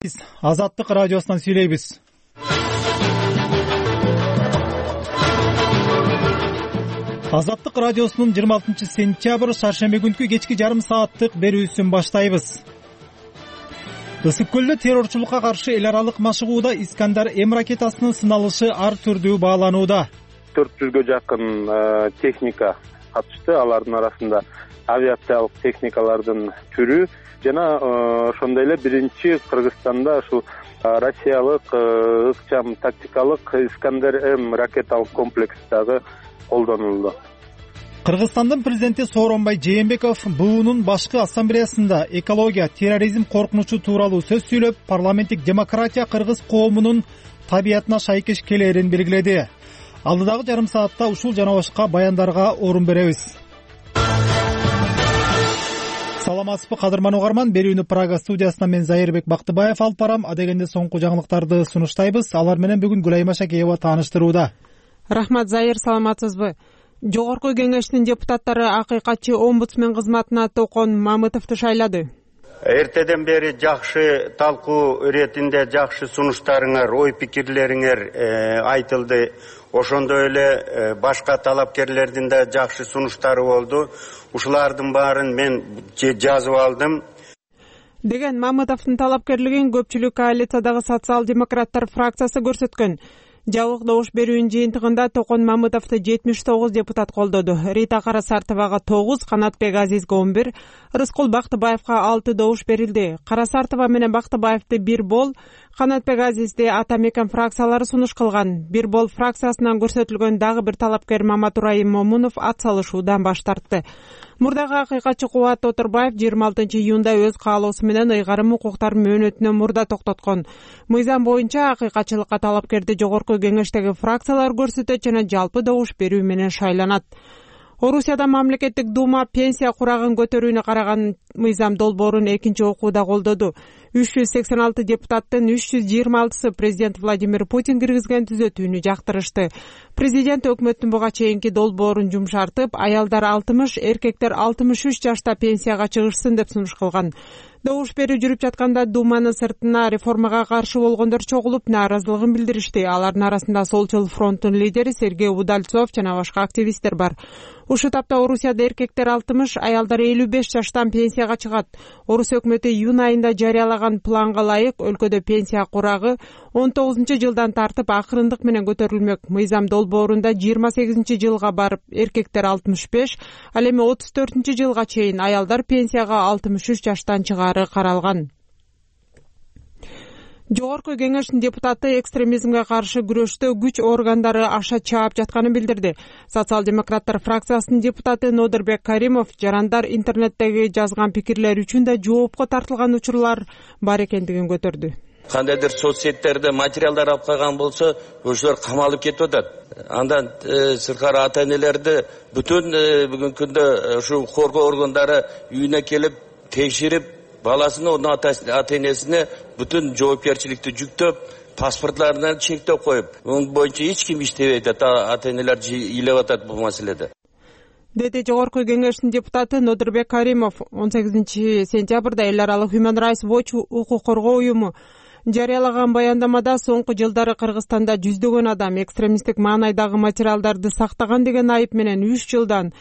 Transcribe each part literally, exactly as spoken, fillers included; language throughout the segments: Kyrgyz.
Биз Азаттык радиосунан сүйлөйбүз. Азаттык радиосунун жыйырма алтынчы сентябрь шаршемби күнкү кечки жарым сааттык берүүсүн баштайбыз. Ысык көлдө террорчулукка каршы эл аралык машыгууда Искандар М ракетасынын сыналышы ар түрдүү бааланууда. төрт жүзгө жакын техника катышты. Алардын арасында авиациялык техникалардын түрү жана ошондой эле биринчи Кыргызстанда ушул Россиялык ыкчам тактикалык Искандар М ракеталык комплекси дагы колдонулду. Кыргызстандын президенти Сооронбай Жээнбеков Б Унун башкы ассамблеясында экология, терроризм коркунучу тууралуу сөз сүйлөп, парламенттик демократия кыргыз коомунун табиятына шайкеш келээрин белгиледи. Алдыдагы жарым саатта ушул жана башка баяндарга орун беребиз. Саламатсызбы кадырман угарман, берүүнү Прага студиясынан мен Зайырбек Бактыбаев алып барам. Адегенде соңку жаңылыктарды сунуштайбыз. Алар менен бүгүн Гүлайма Шакеева тааныштырууда. Рахмат, Зайыр, саламатсызбы? Жогорку кеңештин депутаттары акыйкатчы омбудсмен кызматына Токон Мамытовду шайлады. Эртеден бери жакшы талкуу иретинде жакшы сунуштарыңар, ой пикирлериңер айтылды. Ошондой эле башка талапкерлердин да жакшы сунуштары болду. Ушулардын баарын мен жазып алдым. Деген Мамытовдун талапкерлигин көпчүлүк коалициядагы социал-демократтар фракциясы көрсөткөн. Жабык добуш берүүнүн жыйынтыгында Токон Мамытовду жетимиш тогуз депутат колдоду. Рита Карасартовага тогуз, Канатбек Азизге он бир, Рыскул Бактыбаевга алты добуш берилди. Карасартова менен Бактыбаевди бир бол, Канатбек Азизди Атамекен фракциялары сунуш кылган. Бир бол фракциясынан көрсөтүлгөн дагы бир талапкер Маматурайым Момунов ат салышуудан баш тартты. Мурдагы акыйкатчы Кубат Отурбаев жыйырма алтынчы июнда өз каалоосу менен ыйгарым укуктарын мөөнөтүнөн мурда токтоткон. Мыйзам боюнча акыйкатчылыкка талапкерди жогорку кеңештеги фракциялар көрсөтөт жана жалпы добуш берүү менен шайланат. Орусияда мамлекеттик дума пенсия курагын көтөрүүнү караган мыйзам долбоорун экинчи окууда колдоду. үч жүз сексен алты депутаттын үч жүз жыйырма алтысы президент Владимир Путин киргизген түзөтүүнү жактырышты. Президент өкмөттүн буга чейинки долбоорун жумшартып, аялдар алтымыш, эркектер алтымыш үч жашта пенсияга чыгышсын деп сунуш кылган. Добуш берүү жүрүп жатканда Думанын сыртына реформага каршы болгондор чогулуп нааразылыгын билдиришти. Алардын арасында Солчул фронттун лидери Сергей Удальцов жана башка активисттер бар. Ушул тапта Орусияда эркектер алтымыш, аялдар элүү беш жаштан пенсияга чыгат. Орус өкмөтү июнь айында жарыялаган планга ылайык өлкөдө пенсия курагы он тогузунчу жылдан тартып акырындык менен көтөрүлмөк. Мыйзам долбоорунда жыйырма сегизинчи жылга барып эркектер алтымыш беш, ал эми отуз төртүнчү жылга чейин аялдар пенсияга алтымыш үч жаштан чыгары каралган. Жогорку кеңештин депутаты экстремизмге каршы күрөштө күч органдары аша чаап жатканын билдирди. Социал-демократтар фракциясынын депутаты Нодырбек Каримов жарандар интернеттеги жазган пикирлер үчүн да жоопко тартылган учурлар бар экендигин көтөрдү. Кандайдыр соц сеттерде материалдар алып калган болсо, ошолор камалып кетип атат. Андан сырткары ата-энелерди бүтүн бүгүнкү күндө ушу коргоо органдары үйүнө келип текшерип, баласыны, onun ата-энесине бүтүн жоопкерчиликти жүктөп, паспортларынан чектеп коюп, onun боюнча эч ким иштебейт, ата-энелер ыйлап атат бул маселеде. Деди жогорку кеңештин депутаты Нодырбек Каримов. он сегизинчи сентябрда эл аралык Human Rights Watch укук коргоо уюму жарыялаган баяндамада соңку жылдары Кыргызстанда жүздөгөн адам экстремисттик маанайдагы материалдарды сактаган деген айып менен үч жылдан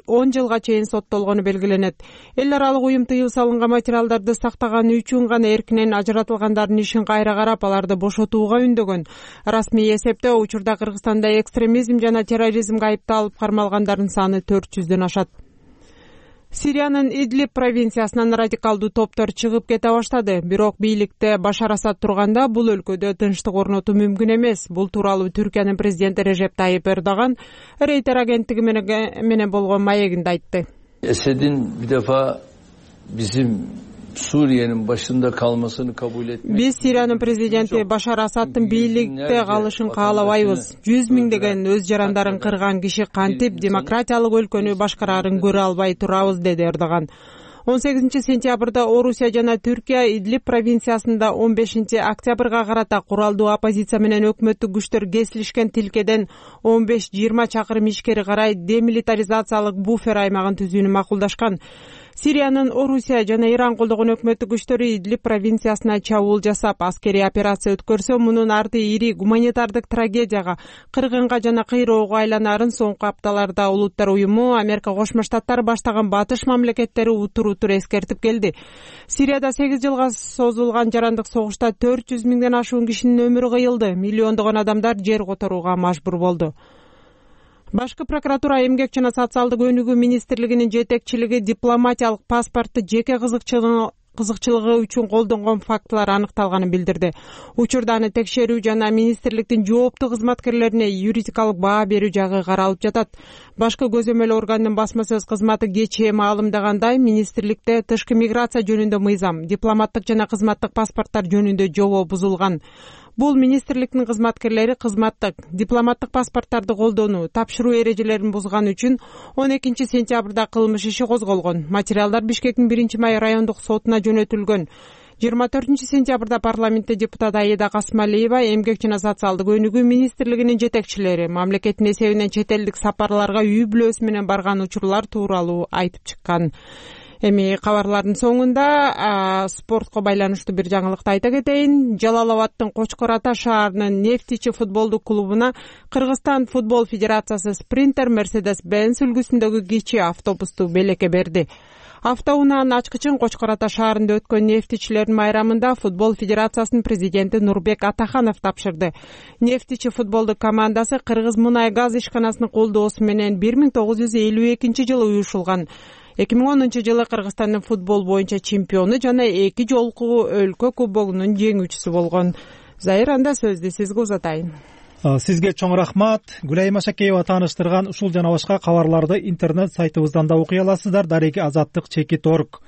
он жылга чейин соттолгону белгиленет. Эл аралык уюм тыюу салынган материалдарды сактаганы үчүн гана эркинен ажыратылгандардын ишин кайра карап, аларды бошотууга үндөгөн. Расмий эсептөө учурда Кыргызстанда экстремизм жана терроризмге айыпталып кармалгандардын саны төрт жүздөн ашат. Сириянын Идлиб провинциясынан радикалдуу топтор чыгып кете баштады. Бирок бийликте Башар Асад турганда бул өлкөдө тынчтык орнотуу мүмкүн эмес. Бул тууралуу Түркиянын президенти Режеп Тайип Эрдоган Рейтер агенттиги менен болгон маегинде айтты. Esed'in bir defa bizim Suriye'nin başında kalmasını kabul etmek. Биз Сириянын президенти Башар Асаддын бийликте калышын каалабайбыз. жүз миңдеген өз жарандарын кырган киши кантип демократиялык өлкөнү башкарарын көрө албай турабыз, деди Эрдоган. он сегизинчи сентябрда Орусия жана Түркия Идлиб провинциясында он бешинчи октябрга карата куралдуу оппозиция менен өкмөттүк күчтөр кесилишкен тилкеден он беш жыйырма чакырым ичкери карай демилитаризациялык буфер аймагын түзүүнү макулдашкан. Сириянын Орусия жана Иран колдогон өкмөттүк күчтөрү Идлиб провинциясына чабуул жасап, аскерий операция өткөрсө, мунун арты ири гуманитардык трагедияга, кыргынга жана кыйроого айланарын соңку апталарда Улуттар уюму, Америка Кошмо Штаттары баштаган батыш мамлекеттери утур-утур эскертип келди. Сирияда сегиз жылга созулган жарандык согушта төрт жүз миңден ашуун кишинин өмүрү кыйылды, миллиондогон адамдар жер которууга мажбур болду. Башкы прокуратура эмгек жана социалдык өнүгүү министрлигинин жетекчилиги дипломатиялык паспортду жеке кызыкчылыгы үчүн колдонгон фактылар аныкталганын билдирди. Учурда аны текшерүү жана министрликтин жооптуу кызматкерлерине юридикалык баа берүү жагы каралып жатат. Башкы көзөмөл органдын басма сөз кызматы кечээ маалымдагандай, министрликте тышкы миграция жөнүндө мыйзам, дипломаттык жана кызматтык паспорттор жөнүндө жобо бузулган. Бул министрликтин кызматкерлери кызматтык, дипломаттык паспорттарды колдонуу, тапшыруу эрежелерин бузган үчүн он экинчи сентябрда кылмыш иши козголгон. Материалдар Бишкектин биринчи май райондук сотуна жөнөтүлгөн. жыйырма төртүнчү сентябрда парламентте депутат Аида Касмалиева, эмгек жана социалдык өнүгүү министрлигинин жетекчилери мамлекеттин эсебинен чет элдик сапарларга үй бүлөсү менен барган учурлар тууралуу айтып чыккан. Эми кабарлардын соңунда спортко байланыштуу бир жаңылыкты айта кетейин. Жалал-Абадтын Кочкор Ата шаарынын Нефтичи футболдук клубуна Кыргызстан футбол федерациясы спринтер Mercedes-Benz үлгүсүндөгү кичи автобусту белекке берди. Автоунаанын ачкычын Кочкор Ата шаарында өткөн нефтичилердин майрамында футбол федерациясынын президенти Нурбек Атаханов тапшырды. Нефтичи футболдук командасы Кыргыз мунай газ ишканасынын колдоосу менен бир миң тогуз жүз элүү экинчи жылы уюшулган. эки миң онунчу жылы Кыргызстандын футбол боюнча чемпиону жана эки жолку өлкө кубогунун жеңүүчүсү болгон. Зайыр, анда сөздү сизге узатайын. Сизге чоң рахмат. Гүлайым Ашакеева тааныштырган ушул жана башка кабарларды интернет сайтыбыздан да окуй аласыздар. Дареги азаттык чекит точка орг.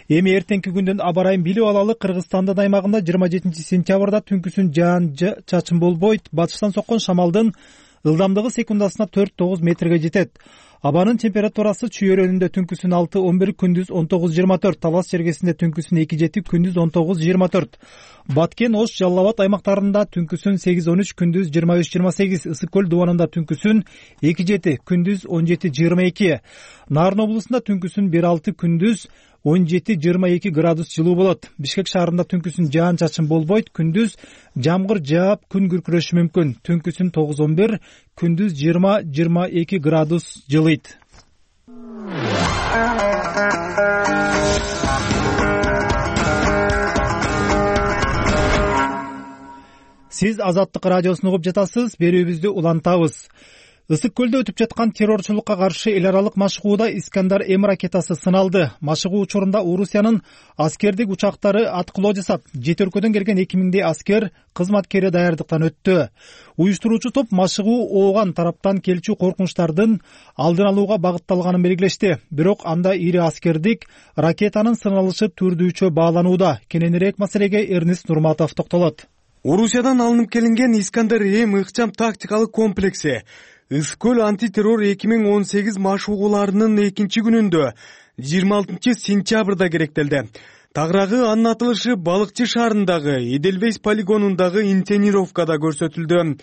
Эми эртеңки күндүн аба ырайын билип алалы. Кыргызстандын аймагында жыйырма жетинчи сентябрда түнкүсүн жаан чачын болбойт. Батыштан соккон шамалдын ылдамдыгы секундасына төрт тогуз метрге жетет. Абанын температурасы чүйөрөнүндө түнкүсүн алты он бир, күндүз он тогуз жыйырма төрт, Талас жергесинде түнкүсүн эки жети, күндүз он тогуз жыйырма төрт. Баткен, Ош, Жалал-Абад аймактарында түнкүсүн сегиз он үч, күндүз жыйырма үч жыйырма сегиз, Ысык көл дубанында түнкүсүн эки жети, күндүз он жети жыйырма эки. Нарын облусунда түнкүсүн бир алты, күндүз он жети жыйырма эки градус жылуу болот. Бишкек шаарында түнкүсүн жаан чачын болбойт, күндүз жамгыр жаап, күн күркүрөшү мүмкүн. Түнкүсүн тогуз он бир, күндүз жыйырма жыйырма эки градус жылыйт. Сиз Азаттык радиосун угуп жатасыз. Берүүбүздү улантабыз. Ысык көлдө өтүп жаткан террорчулукка каршы эл аралык машыгууда Искандер М ракетасы сыналды. Машыгуу учурунда Орусиянын аскердик учактары аткылоо жасап, жети өлкөдөн келген эки миңдей аскер кызматкери даярдыктан өттү. Уюштуруучу топ машыгуу ооган тараптан келчү коркунучтардын алдын алууга багытталганын белгилешти. Бирок анда ири аскердик ракетанын сыналышы түрдүүчө бааланууда. Кененирээк маселеге Эрнест Нурматов токтолот. Орусиядан алынып келинген Искандер М ыкчам тактикалык комплекси Ысык көл антитеррор эки миң он сегиз машыгууларынын экинчи күнүндө жыйырма алтынчы сентябрда керектелди. Тагыраагы анын атылышы Балыкчы шаарындагы Эдельвейс полигонундагы инсценировкада көрсөтүлдү.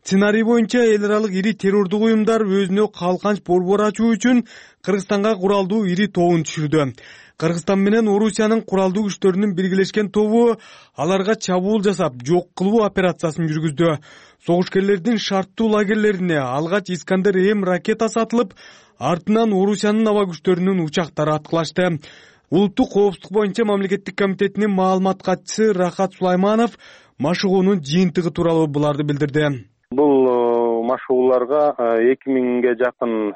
Сценарий боюнча эл аралык ири террордук уюмдар өзүнө калканч борбор ачуу үчүн Кыргызстанга куралдуу ири тобун түшүрдү. Кыргызстан менен Орусиянын куралдуу күчтөрүнүн биргелешкен тобу аларга чабуул жасап, жок кылуу операциясын жүргүздү. Согушкерлердин шарттуу лагерлерине алгач Искандер М ракетасы атылып, артынан Орусиянын аба күчтөрүнүн учактары аткылашты. Улуттук коопсуздук боюнча мамлекеттик комитетинин маалымат катчысы Рахат Сулайманов машыгуунун жыйынтыгы тууралуу буларды билдирди. Бул машыгууларга эки миңге жакын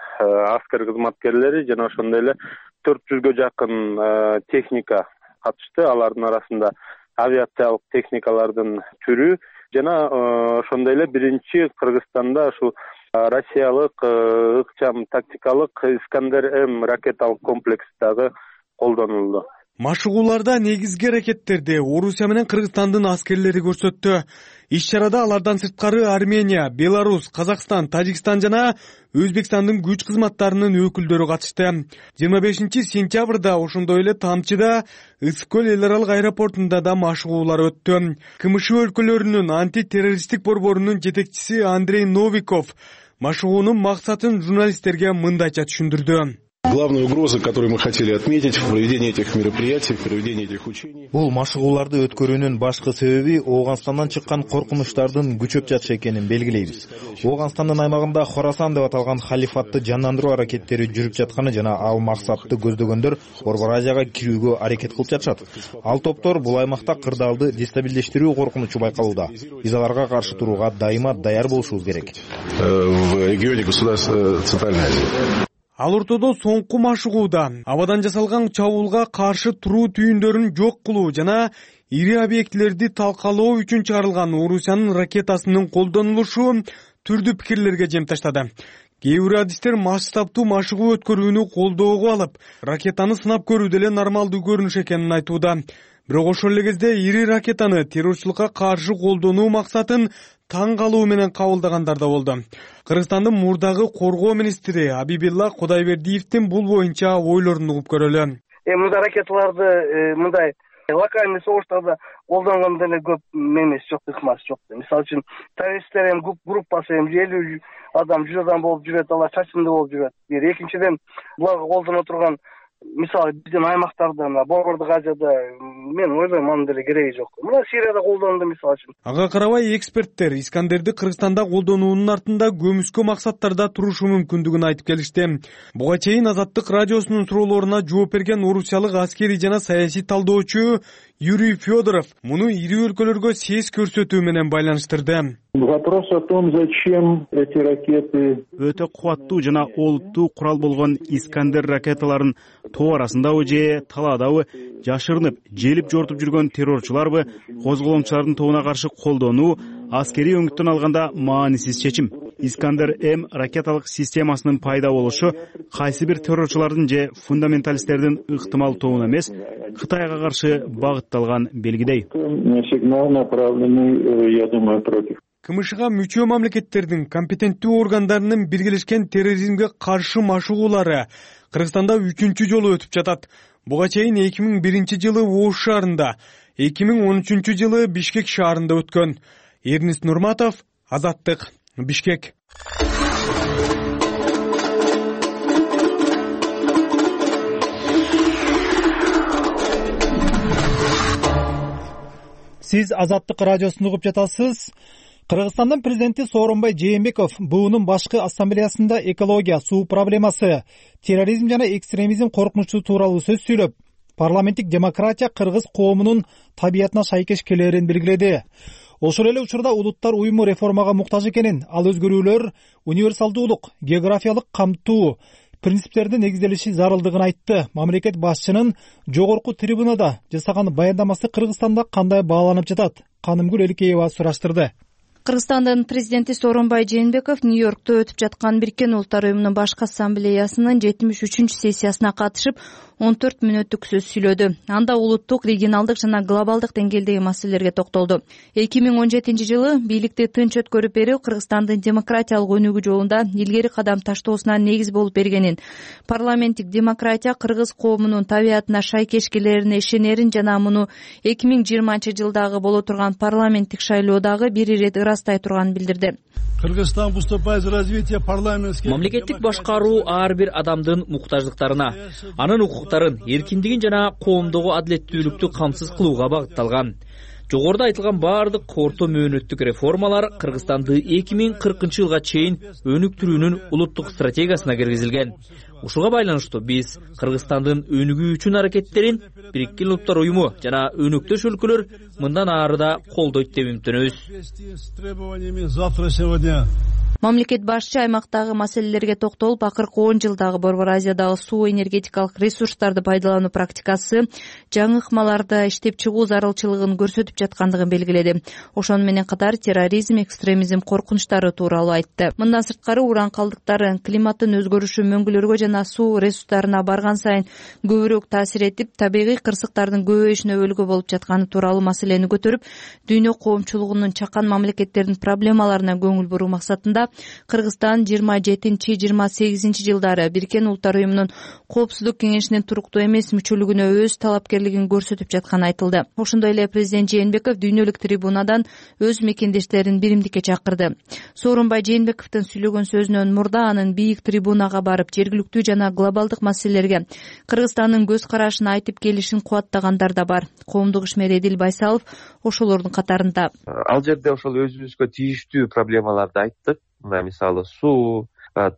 аскер кызматкерлери жана ошондой эле төрт жүзгө жакын техника катышты. Алардын арасында авиациялык техникалардын түрү жана ошондой эле биринчи Кыргызстанда ушу Россиялык ыкчам тактикалык Искандер М ракеталык комплекси дагы колдонулду. Машыгууларда негизги аракеттерди Орусия менен Кыргызстандын аскерлери көрсөттү. Иш-чарада алардан сырткары Армения, Беларусь, Казакстан, Тажикстан жана Өзбекстандын күч кызматтарынын өкүлдөрү катышты. жыйырма бешинчи сентябрда ошондой эле Тамчыда Ысык көл эл аралык аэропортунда да машыгуулар өттү. КМШ өлкөлөрүнүн антитеррористтик борборунун жетекчиси Андрей Новиков машыгуунун максатын журналисттерге мындайча түшүндүрдү. Главная угроза, которую мы хотели отметить в проведении этих мероприятий, в проведении этих учений. Бул машыгууларды өткөрүүнүн башкы себеби Ооганстандан чыккан коркунучтардын күчөп жатышы экенин белгилейбиз. Ооганстандын аймагында Хорасан деп аталган халифатты жандандыруу аракеттери жүрүп жатканы жана ал максатты көздөгөндөр Борбор Азияга кирүүгө аракет кылып жатышат. Ал топтор бул аймакта кырдаалды дестабилдештирүү коркунучу байкалууда. Биз аларга каршы турууга дайыма даяр болушубуз керек. В регионе государств Центральной Азии. Ал ортодо соңку машыгууда абадан жасалган чабуулга каршы туруу түйүндөрүн жок кылуу жана ири объектилерди талкалоо үчүн чыгарылган Орусиянын ракетасынын колдонулушу түрдүү пикирлерге жем таштады. Кээ бир адистер масштабтуу машыгуу өткөрүүнү колдоого алып, ракетаны сынап көрүү деле нормалдуу көрүнүш экенин айтууда. Бирок ошол эле кезде ири ракетаны террорчулукка каршы колдонуу максатын таң калуу менен кабылдагандар да болду. Кыргызстандын мурдагы коргоо министри Абибилла Кудайбердиевдин бул боюнча ойлорун угуп көрөлү. Мындай ракеталарды мындай локальный согуштарда колдонгондо эле көп эмес жок, ыкмасы жок. Мисалы үчүн террористтер эми группасы эми элүү адам, жүз адам болуп жүрөт, алар чачымдуу болуп жүрөт. Бир экинчиден буларга колдоно турган мисалы биздин аймактарда, Борбордук Азияда мен ойлойм анын деле кереги жок. Мына Сирияда колдонду мисалы үчүн. Ага карабай эксперттер Искандерди Кыргызстанда колдонуунун артында көмүскө максаттарда турушу мүмкүндүгүн айтып келишти. Буга чейин Азаттык радиосунун суроолоруна жооп берген орусиялык аскери жана саясий талдоочу Юрий Федоров муну ири өлкөлөргө сес көрсөтүү менен байланыштырды. Вопрос о том, зачем эти ракеты. Өтө кубаттуу жана олуттуу курал болгон Искандер ракеталарын тоо арасындабы же таладабы жашырынып, желип жортуп жүргөн террорчуларбы козголомчулардын тобуна каршы колдонуу аскерий өңүттөн алганда маанисиз чечим. Искандер М ракеталык системасынын пайда болушу кайсы бир террорчулардын же фундаменталисттердин ыктымал тобуна эмес, Кытайга каршы багытталган белгидей. Сигнал направленный, я думаю, против. КМШга мүчө мамлекеттердин компетенттүү органдарынын биргелешкен терроризмге каршы машыгуулары Кыргызстанда үчүнчү жолу өтүп жатат. Буга чейин эки миң биринчи жылы Ош шаарында, эки миң он үчүнчү жылы Бишкек шаарында өткөн. Эрнис Нурматов, Азаттык, Бишкек. Сиз Азаттык радиосун угуп жатасыз. Кыргызстандын президенти Сооронбай Жээнбеков буунун башкы ассамблеясында экология, суу проблемасы, терроризм жана экстремизм коркунучу тууралуу сөз сүйлөп, парламенттик демократия кыргыз коомунун табиятына шайкеш келерин белгиледи. Ошол эле учурда улуттар уюму реформага муктаж экенин, ал өзгөрүүлөр универсалдуулук, географиялык камтуу принциптерде негизделиши зарылдыгын айтты. Мамлекет башчынын жогорку трибунада жасаган баяндамасы Кыргызстанда кандай бааланып жатат? Канымгүл Эликеева сураштырды. Кыргызстандын президенти Сооронбай Жээнбеков Нью-Йоркто өтүп жаткан Бириккен Улуттар уюмунун башкы ассамблеясынын жетимиш үчүнчү сессиясына катышып он төрт мүнөттүк сөз сүйлөдү. Анда улуттук, регионалдык жана глобалдык деңгээлдеги маселелерге токтолду. эки миң он жетинчи жылы бийликти тынч өткөрүп берүү Кыргызстандын демократиялык өнүгүү жолунда илгери кадам таштоосуна негиз болуп бергенин, парламенттик демократия кыргыз коомунун табиятына шайкеш келерине ишенерин жана муну эки миң жыйырманчы жылдагы боло турган парламенттик шайлоодагы бир ирет ырастай турганын билдирди. Кыргызстан выступает за развитие парламентских. Мамлекеттик башкаруу ар бир адамдын муктаждыктарына, анын укуктарын, эркиндигин жана коомдогу адилеттүүлүктү камсыз кылууга багытталган. Жогоруда айтылган баардык орто мөөнөттүк реформалар Кыргызстанды эки миң кыркынчы жылга чейин өнүктүрүүнүн улуттук стратегиясына киргизилген. Ушуга байланыштуу биз Кыргызстандын өнүгүү үчүн аракеттерин Бириккен Улуттар уюму жана өнөктөш өлкөлөр мындан ары да колдойт деп үмүттөнөбүз. Мамлекет башчы аймактагы маселелерге токтолуп, акыркы он жылдагы Борбор Азиядагы суу энергетикалык ресурстарды пайдалануу практикасы жаңы ыкмаларда иштеп чыгуу зарылчылыгын көрсөтүп жаткандыгын белгиледи. Ошону менен катар терроризм, экстремизм коркунучтары тууралуу айтты. Мындан сырткары уран калдыктары климаттын өзгөрүшү мөңгүлөргө жана суу ресурстарына барган сайын көбүрөөк таасир этип, табигый кырсыктардын көбөйүшүнө өлгө болуп жатканы тууралуу маселени көтөрүп, дүйнө коомчулугунун чакан мамлекеттердин проблемаларына көңүл буруу максатында Кыргызстан жыйырма жетинчи жыйырма сегизинчи жылдары Бириккен Улуттар уюмунун Коопсуздук кеңешинин туруктуу эмес мүчөлүгүнө өз талапкерлигин көрсөтүп жатканы айтылды. Ошондой эле президент Жээнбеков дүйнөлүк трибунадан өз мекендештерин биримдикке чакырды. Сооронбай Жээнбековдун сүйлөгөн сөзүнөн мурда анын бийик трибунага барып жергиликтүү жана глобалдык маселелерге Кыргызстандын көз карашын айтып келишин кубаттагандар да бар. Коомдук ишмер Эдил Байсалов ошолордун катарында. Ал жерде ошол өзүбүзгө тийиштүү проблемаларды айттык. Мына мисалы суу,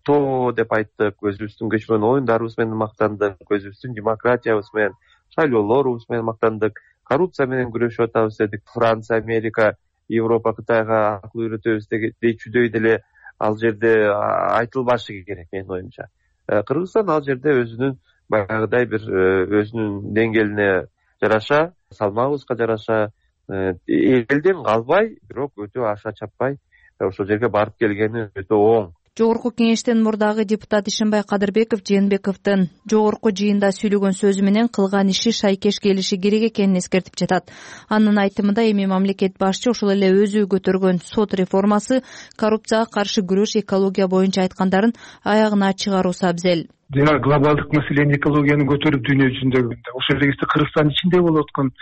тоо деп айттык, өзүбүздүн көчмөн оюндарыбыз менен мактандык, өзүбүздүн демократиябыз менен, шайлоолорубуз менен мактандык, коррупция менен күрөшүп атабыз дедик. Франция, Америка, Европа Кытайга акыл үйрөтөбүз дечүдөй деле ал жерде айтылбашы керек менин оюмча. Кыргызстан ал жерде өзүнүн баягыдай бир өзүнүн деңгээлине жараша, салмагыбызга жараша элден калбай, бирок өтө аша чаппай ошол жерге барып келгени өтө оң. Жогорку кеңештин мурдагы депутат Ишенбай Кадырбеков Жээнбековдун жогорку жыйында сүйлөгөн сөзү менен кылган иши шайкеш келиши керек экенин эскертип жатат. Анын айтымында эми мамлекет башчы ошол эле өзү көтөргөн сот реформасы, коррупцияга каршы күрөш, экология боюнча айткандарын аягына чыгаруусу абзел. Жана глобалдык маселени, экологияны көтөрүп дүйнө жүзүндө ошол эле кезде Кыргызстан ичинде болуп аткан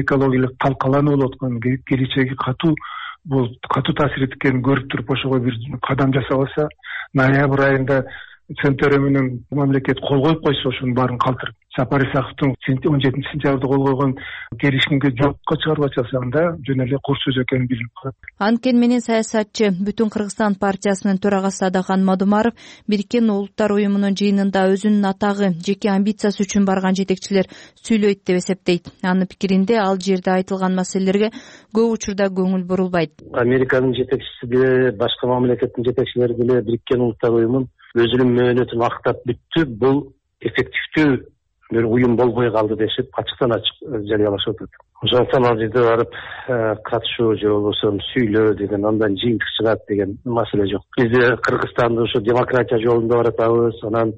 экологиялык талкалануу болуп аткан келечеги катуу бул катуу таасир эткенин көрүп туруп ошого бир кадам жасабаса, ноябрь айында Центр менен мамлекет кол коюп койсо ошонун баарын калтырып, Сапар Исаковдун он жетинчи сентябрда кол койгон келишимге жокко чыгарып атсаңда жөн эле кур сөз экенин билип коет. Анткени менен саясатчы Бүтүн Кыргызстан партиясынын төрагасы Адахан Мадумаров Бириккен Улуттар уюмунун жыйынында өзүнүн атагы, жеке амбициясы үчүн барган жетекчилер сүйлөйт деп эсептейт. Анын пикиринде ал жерде айтылган маселелерге көп учурда көңүл бурулбайт. Американын жетекчиси деле, башка мамлекеттин жетекчилери деле Бириккен Улуттар уюмун өзүнүн мөөнөтүн актап бүттү, бул эффективдүү бир уюм болбой калды дешип ачыктан ачык жарыялашып атат. Ошондуктан ал жерде барып катышуу же болбосо сүйлөө деген, андан жыйынтык чыгат деген маселе жок. Бизде Кыргызстанды ошо демократия жолунда баратабыз, анан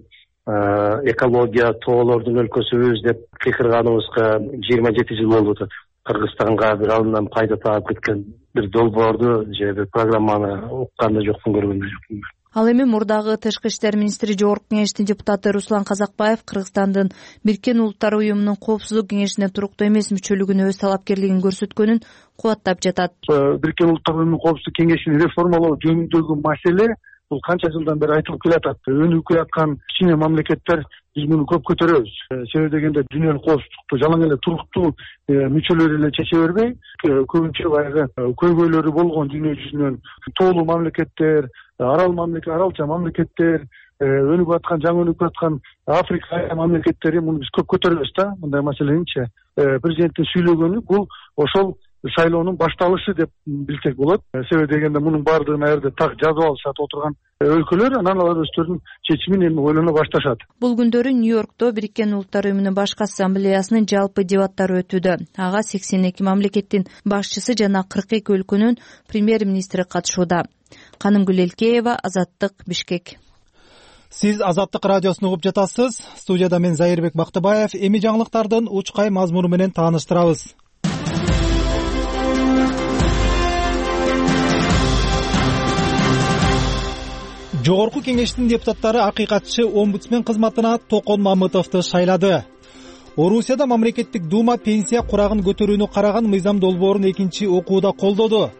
экология, тоолордун өлкөсүбүз деп кыйкырганыбызга жыйырма жети жыл болуп атат. Кыргызстанга бир алынан пайда таап кеткен бир долбоорду же бир программаны уккан да жокмун, көргөн да жокмун. Ал эми мурдагы Тышкы иштер министри, Жогорку кеңештин депутаты Руслан Казакбаев Кыргызстандын Бириккен Улуттар уюмунун Коопсуздук кеңешине туруктуу эмес мүчөлүгүнө өз талапкерлигин көрсөткөнүн кубаттап жатат. Бириккен Улуттар уюмунун Коопсуздук кеңешин реформалоо жөнүндөгү маселе бул канча жылдан бери айтылып келатат. Өнүгүп келаткан кичине мамлекеттер биз муну көп көтөрөбүз. Себеби дегенде дүйнөлүк коопсуздукту жалаң эле туруктуу мүчөлөр эле чече бербей, көбүнчө баягы көйгөйлөрү болгон дүйнө жүзүнөн тоолуу мамлекеттер, арал мамлекет, аралча мамлекеттер, өнүгүп аткан, жаңы өнүгүп аткан Африка мамлекеттери муну биз көп көтөрөбүз да, мындай маселеничи. Президенттин сүйлөгөнү бул ошол шайлоонун башталышы деп билсек болот. Себеби дегенде мунун баардыгын аерде так жазып алышат отурган өлкөлөр, анан алар өздөрүнүн чечимин эми ойлоно башташат. Бул күндөрү Нью-Йоркто Бириккен Улуттар уюмунун башкы ассамблеясынын жалпы дебаттары өтүүдө. Ага сексен эки мамлекеттин башчысы жана кырк эки өлкөнүн премьер-министри катышууда. Канымгүл Элкеева, Азаттык, Бишкек. Сиз Азаттык радиосун угуп жатасыз. Студияда мен Зайырбек Бактыбаев. Эми жаңылыктардын учкай мазмуну менен тааныштырабыз. Жогорку кеңештин депутаттары акыйкатчы омбудсмен кызматына Токон Мамытовду шайлады. Орусияда мамлекеттик дума пенсия курагын көтөрүүнү караган мыйзам долбоорун экинчи окууда колдоду.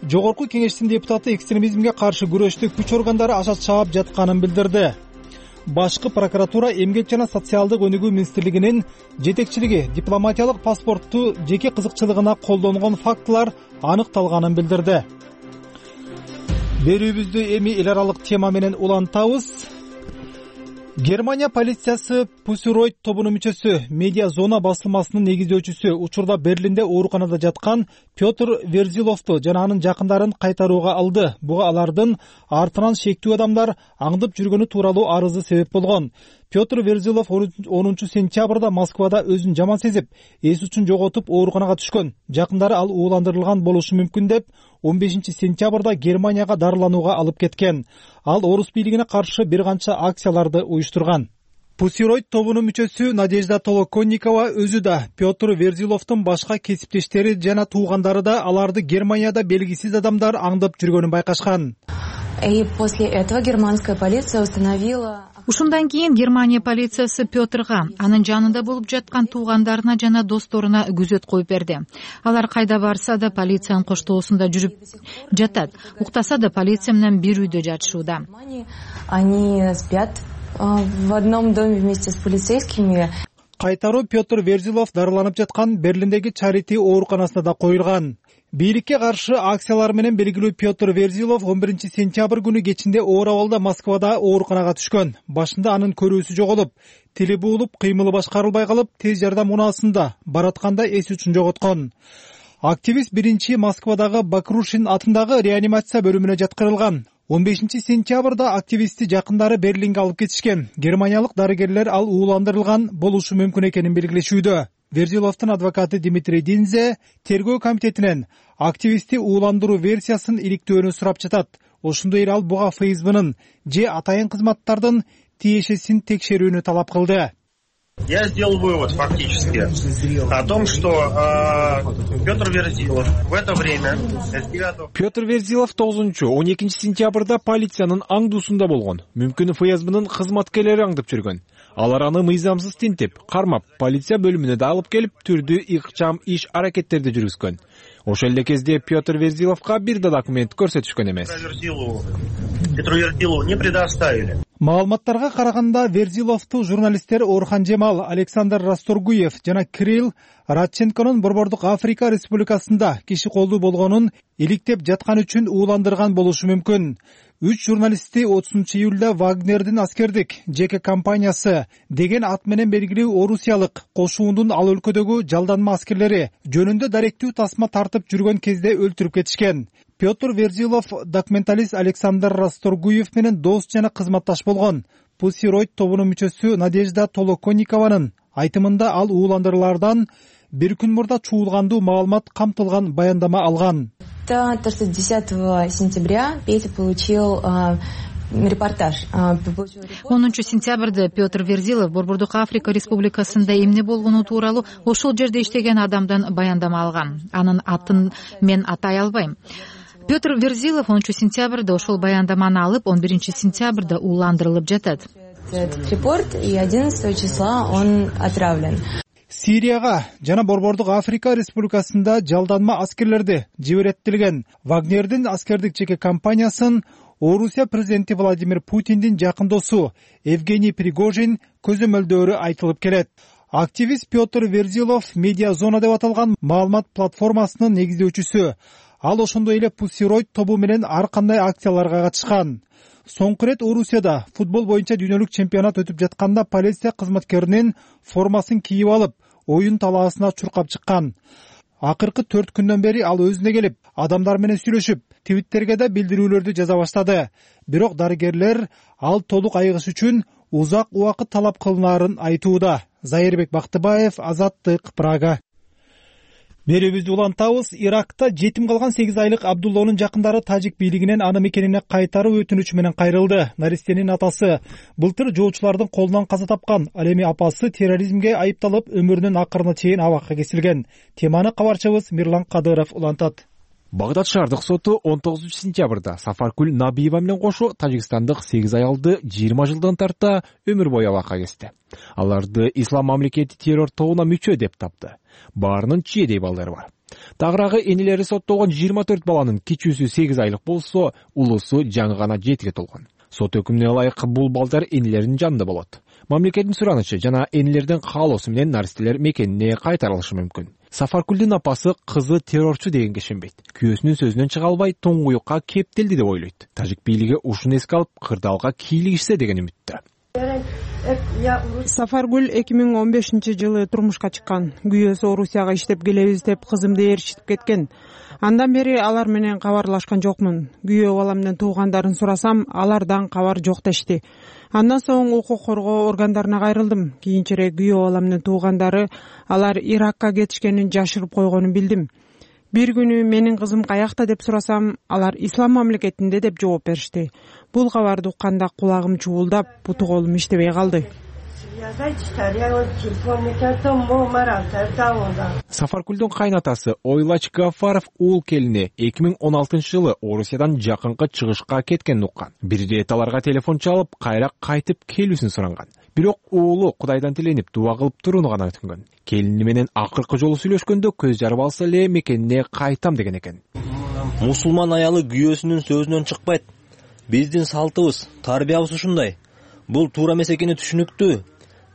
Жогорку кеңештин депутаты экстремизмге каршы күрөштү күч органдары аша чаап жатканын билдирди. Башкы прокуратура эмгек жана социалдык өнүгүү министрлигинин жетекчилиги дипломатиялык паспортту жеке кызыкчылыгына колдонгон фактылар аныкталганын билдирди. Берүүбүздү эми эл аралык тема менен улантабыз. Германия полициясы Пусиройт тобунун мүчөсү, медиа зона басылмасынын негиздөөчүсү, учурда Берлинде ооруканада жаткан Петр Верзиловду жана анын жакындарын кайтарууга алды. Буга алардын артынан шектүү адамдар аңдып жүргөнү тууралуу арызы себеп болгон. Петр Верзилов онунчу сентябрда Москвада өзүн жаман сезип, эс учун жоготуп ооруканага түшкөн. Жакындары ал ууландырылган болушу мүмкүн деп он бешинчи сентябрда Германияга дарыланууга алып кеткен. Ал орус бийлигине каршы бир канча акцияларды уюштурган. Пусиройт тобунун мүчөсү Надежда Толоконникова өзү да Петр Верзиловдун башка кесиптештери жана туугандары да аларды Германияда белгисиз адамдар аңдып жүргөнүн байкашкан. И после этого германская полиция установила... Ушундан кийин Германия полициясы Пётрга, анын жанында болуп жаткан туугандарына жана досторуна күзөт коюп берди. Алар кайда барса да полициянын коштоосунда жүрүп жатат. Уктаса да полиция менен бир үйдө жатышууда. Они спят в одном доме вместе с полицейскими. Кайтаруу Петр Верзилов дарыланып жаткан Берлиндеги Чарити ооруканасына да коюлган. Бийликке каршы акциялар менен белгилүү Петр Верзилов он биринчи сентябрь күнү кечинде оор абалда Москвада ооруканага түшкөн. Башында анын көрүүсү жоголуп, тили буулуп, кыймылы башкарылбай калып, тез жардам унаасында баратканда эс үчүн жоготкон. Активист биринчи Москвадагы Бакрушин атындагы реанимация бөлүмүнө жаткырылган. он бешинчи сентябрда активистти жакындары Берлинге алып кетишкен. Германиялык дарыгерлер ал ууландырылган болушу мүмкүн экенин белгилешүүдө. Верзиловдун адвокаты Дмитрий Динзе тергөө комитетинен активистти ууландыруу версиясын иликтөөнү сурап жатат. Ошондой эле ал буга ФСБнын же атайын кызматтардын тиешесин текшерүүнү талап кылды. Я сделал вывод фактически о том, что э, Петр Верзилов в это время... Петр Верзилов тогузунчу он экинчи сентябрда полициянын аңдуусунда болгон. Мүмкүн ФСБнын кызматкерлери аңдып жүргөн. Алар аны мыйзамсыз тинтип, кармап, полиция бөлүмүнө да алып келип, түрдүү ыкчам иш аракеттерди жүргүзгөн. Ошол эле кезде Петр Верзиловго бир да документ көрсөтүшкөн эмес. Петру Верзилову не предоставили. Маалыматтарга караганда Верзиловду журналисттер Орхан Жемал, Александр Расторгуев жана Кирилл Радченконун Борбордук Африка Республикасында киши колдуу болгонун иликтеп жаткан үчүн ууландырган болушу мүмкүн. Үч журналистти отузунчу июлда Вагнердин аскердик жеке компаниясы деген ат менен белгилүү орусиялык кошуундун ал өлкөдөгү жалданма аскерлери жөнүндө даректүү тасма тартып жүргөн кезде өлтүрүп кетишкен. Петр Верзилов документалист Александр Расторгуев менен дос жана кызматташ болгон. Pussy Riot тобунун мүчөсү Надежда Толоконникованын айтымында ал ууландырылардан бир күн мурда чуулгандуу маалымат камтылган баяндама алган. десятого сентября Петя получил репортаж. онунчу сентябрда Петр Верзилов Борбордук Африка Республикасында эмне болгону тууралуу ошол жерде иштеген адамдан баяндама алган. Анын атын мен атай албайм. Петр Верзилов онунчу сентябрда ошол баяндаманы алып, он биринчи сентябрда ууландырылып жатат. Этот репорт и одиннадцатого числа он отравлен. Сирияга жана Борбордук Африка Республикасында жалданма аскерлерди жибереттилген Вагнердин аскердик жеке компаниясын Орусия президенти Владимир Путиндин жакын досу Евгений Пригожин көзөмөлдөөрү айтылып келет. Активист Петр Верзилов Медиа Зона деп аталган маалымат платформасынын негиздөөчүсү. Ал ошондой эле Pussy Riot тобу менен ар кандай акцияларга катышкан. Соңку ирет Орусияда футбол боюнча дүйнөлүк чемпионат өтүп жатканда полиция кызматкеринин формасын кийип алып, оюн талаасына чуркап чыккан. Акыркы төрт күндөн бери ал өзүнө келип, адамдар менен сүйлөшүп, Твиттерге да билдирүүлөрдү жаза баштады. Бирок дарыгерлер ал толук айыгыш үчүн узак убакыт талап кылынаарын айтууда. Зайырбек Бактыбаев, Азаттык, Прага. Берүүбүздү улантабыз. Иракта жетим калган сегиз айлык Абдуллонун жакындары тажик бийлигинен аны мекенине кайтаруу өтүнүчү менен кайрылды. Наристенин атасы былтыр жоочулардын колунан каза тапкан. Ал эми апасы терроризмге айыпталып, өмүрүнүн акырына чейин абакка кесилген. Теманы кабарчыбыз Мирлан Кадыров улантат. Багдад шаардык соту он тогузунчу сентябрда Сафаркүл Набиева менен кошо тажикстандык сегиз аялды жыйырма жылдан тарта өмүр бою абакка кести. Аларды ислам мамлекети террор тобуна мүчө деп тапты. Баарынын чиедей балдары бар. Тагыраагы энелери соттолгон жыйырма төрт баланын кичүүсү сегиз айлык болсо, улуусу жаңы гана жетиге толгон. Сот өкүмүнө ылайык бул балдар энелеринин жанында болот. Мамлекеттин суранычы жана энелердин каалоосу менен наристелер мекенине кайтарылышы мүмкүн. Сафаркүлдүн апасы кызы террорчу дегенге ишенбейт. Күйөөсүнүн сөзүнөн чыга албай тоңгуюкка кептелди деп ойлойт. Тажик бийлиги ушуну эске алып, кырдаалга кийлигишсе деген үмүттө. Сафаргүл эки миң он бешинчи жылы турмушка чыккан. Күйөөсү Орусияга иштеп келебиз деп кызымды ээрчитип кеткен. Андан бери алар менен кабарлашкан жокмун. Күйөө балам менен туугандарын сурасам, алардан кабар жок дешти. Андан соң укук коргоо органдарына кайрылдым. Кийинчерээк күйөө балам менен туугандары алар Иракка кетишкенин жашырып койгонун билдим. Бир күнү менин кызым каякта деп сурасам, алар ислам мамлекетинде деп жооп беришти. Бул кабарды укканда кулагым чуулдап, буту колум иштебей калды. Сафаркулдун кайнатасы Ойлач Гафаров уул келини эки миң он алтынчы жылы Орусиядан жакынкы чыгышка кеткенин уккан. Бир ирет аларга телефон чалып, кайра кайтып келүүсүн суранган. Бирок уулу Кудайдан тиленип дуба кылып турууну гана өтүнгөн. Келини менен акыркы жолу сүйлөшкөндө көз жарып алса эле мекенине кайтам деген экен. Мусулман аялы күйөөсүнүн сөзүнөн чыкпайт. Биздин салтыбыз, тарбиябыз ушундай. Бул туура эмес экени түшүнүктүү.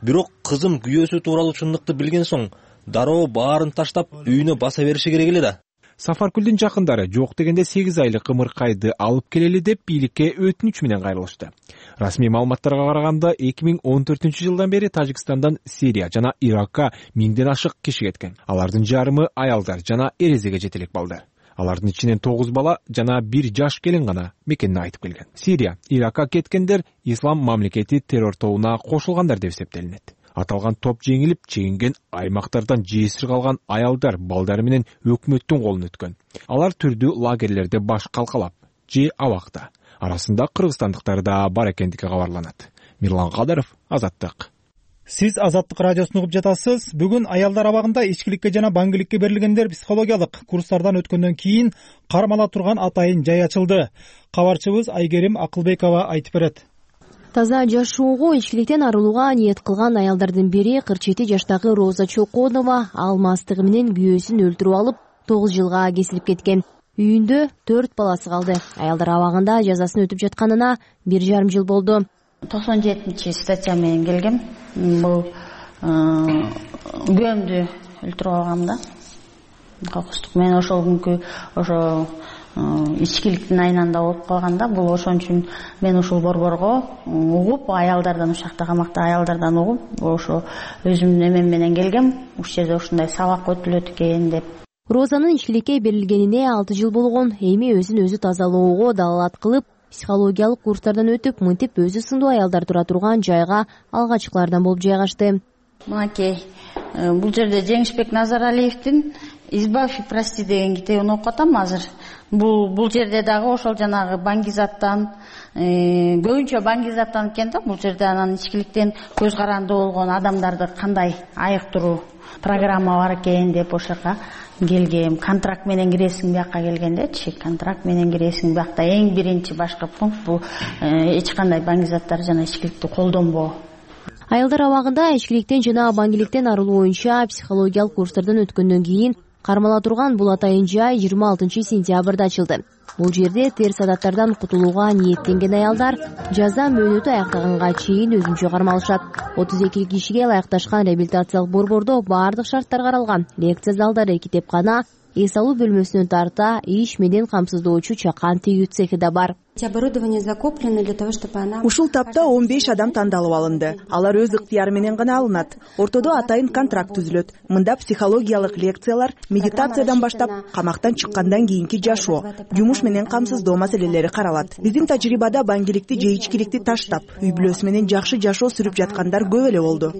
Бирок кызым күйөөсү тууралуу чындыкты билген соң, дароо баарын таштап үйүнө баса бериши керек эле да. Сафаркулдун жакындары жок дегенде сегиз айлык ымыркайды алып келели деп бийликке өтүнүч менен кайрылышты. Расмий маалыматтарга караганда эки миң он төртүнчү жылдан бери Тажикстандан Сирия жана Иракка миңден ашык киши кеткен. Алардын жарымы аялдар жана эрезеге жетелек балдар. Алардын ичинен тогуз бала жана бир жаш келин гана мекенине айтып келген. Сирия, Иракка кеткендер Ислам мамлекети террор тобуна кошулгандар деп эсептелинет. Аталган топ жеңилип, чегинген аймактардан жесир калган аялдар, балдары менен өкмөттүн колуна өткөн. Алар түрдүү лагерлерде баш калкалап, же абакта. Арасында кыргызстандыктар да бар экендиги кабарланат. Мирлан Кадыров, Азаттык. Сиз Азаттык радиосун угуп жатасыз. Бүгүн аялдар абагында ичкиликке жана баңгиликке берилгендер психологиялык курстардан өткөндөн кийин кармала турган атайын жай ачылды. Кабарчыбыз Айгерим Акылбекова айтып берет. Таза жашоого, ичкиликтен арылууга ниет кылган аялдардын бири кырк жети жаштагы Роза Чоконова ал мастыгы менен күйөөсүн өлтүрүп алып, тогуз жылга кесилип кеткен. Үйүндө төрт баласы калды. Аялдар абагында жазасын өтүп жатканына бир жарым жыл болду. токсон жетинчи статья менен келгем. Бул күйөөмдү өлтүрүп алгам да. Кокустук мен ошол күнкү ошо ичкиликтин айнанда болуп калганда, бул ошон үчүн мен ушул борборго угуп, аялдардан, ушакта камакта аялдардан угуп, ошо өзүмдүн эмем менен келгем. Ушул жерде ушундай сабак өтүлөт экен деп. Розанын ичкиликке берилгенине алты жыл болгон. Эми өзүн өзү тазалоого далалат кылып, психологиялык курстардан өтүп, мынтип өзү сындуу аялдар тура турган жайга алгачкылардан болуп жайгашты. Мынакей, бул жерде Жеңишбек Назаралиевдин «Избавь и прости» деген китебин окуп атам азыр. Бул бул жерде дагы ошол жанагы баңгизаттан, көбүнчө баңгизаттан экен да. Бул жерде анан ичкиликтен көз каранды болгон адамдарды кандай айыктыруу программа бар экен деп ошол жака келгем. Контракт менен киресиң бияка келгендечи, контракт менен киресиң биякта. Эң биринчи башкы пункт бул эч кандай баңгизаттар жана ичкиликти колдонбоо. Аялдар абагында ичкиликтен жана баңгиликтен арылуу боюнча психологиялык курстардан өткөндөн кийин кармала турган бул атайын жай жыйырма алтынчы сентябрда ачылды. Бул жерде терс адаттардан кутулууга ниеттенген аялдар жаза мөөнөтү аяктаганга чейин өзүнчө кармалышат. отуз эки кишиге ылайыкташкан реабилитациялык борбордо баардык шарттар каралган. Лекция залдары, китепкана, эс алуу бөлмөсүнөн тарта иш менен камсыздоочу чакан тигүү цехи да бар. Ушул тапта он беш адам тандалып алынды. Алар өз ыктыяры менен гана алынат. Ортодо атайын контракт түзүлөт. Мында психологиялык лекциялар, медитациядан баштап, камактан чыккандан кийинки жашоо, жумуш менен камсыздоо маселелери каралат. Биздин тажрыйбада баңгиликти же ичкиликти таштап, үй бүлөсү менен жакшы жашоо сүрүп жаткандар көп эле болду.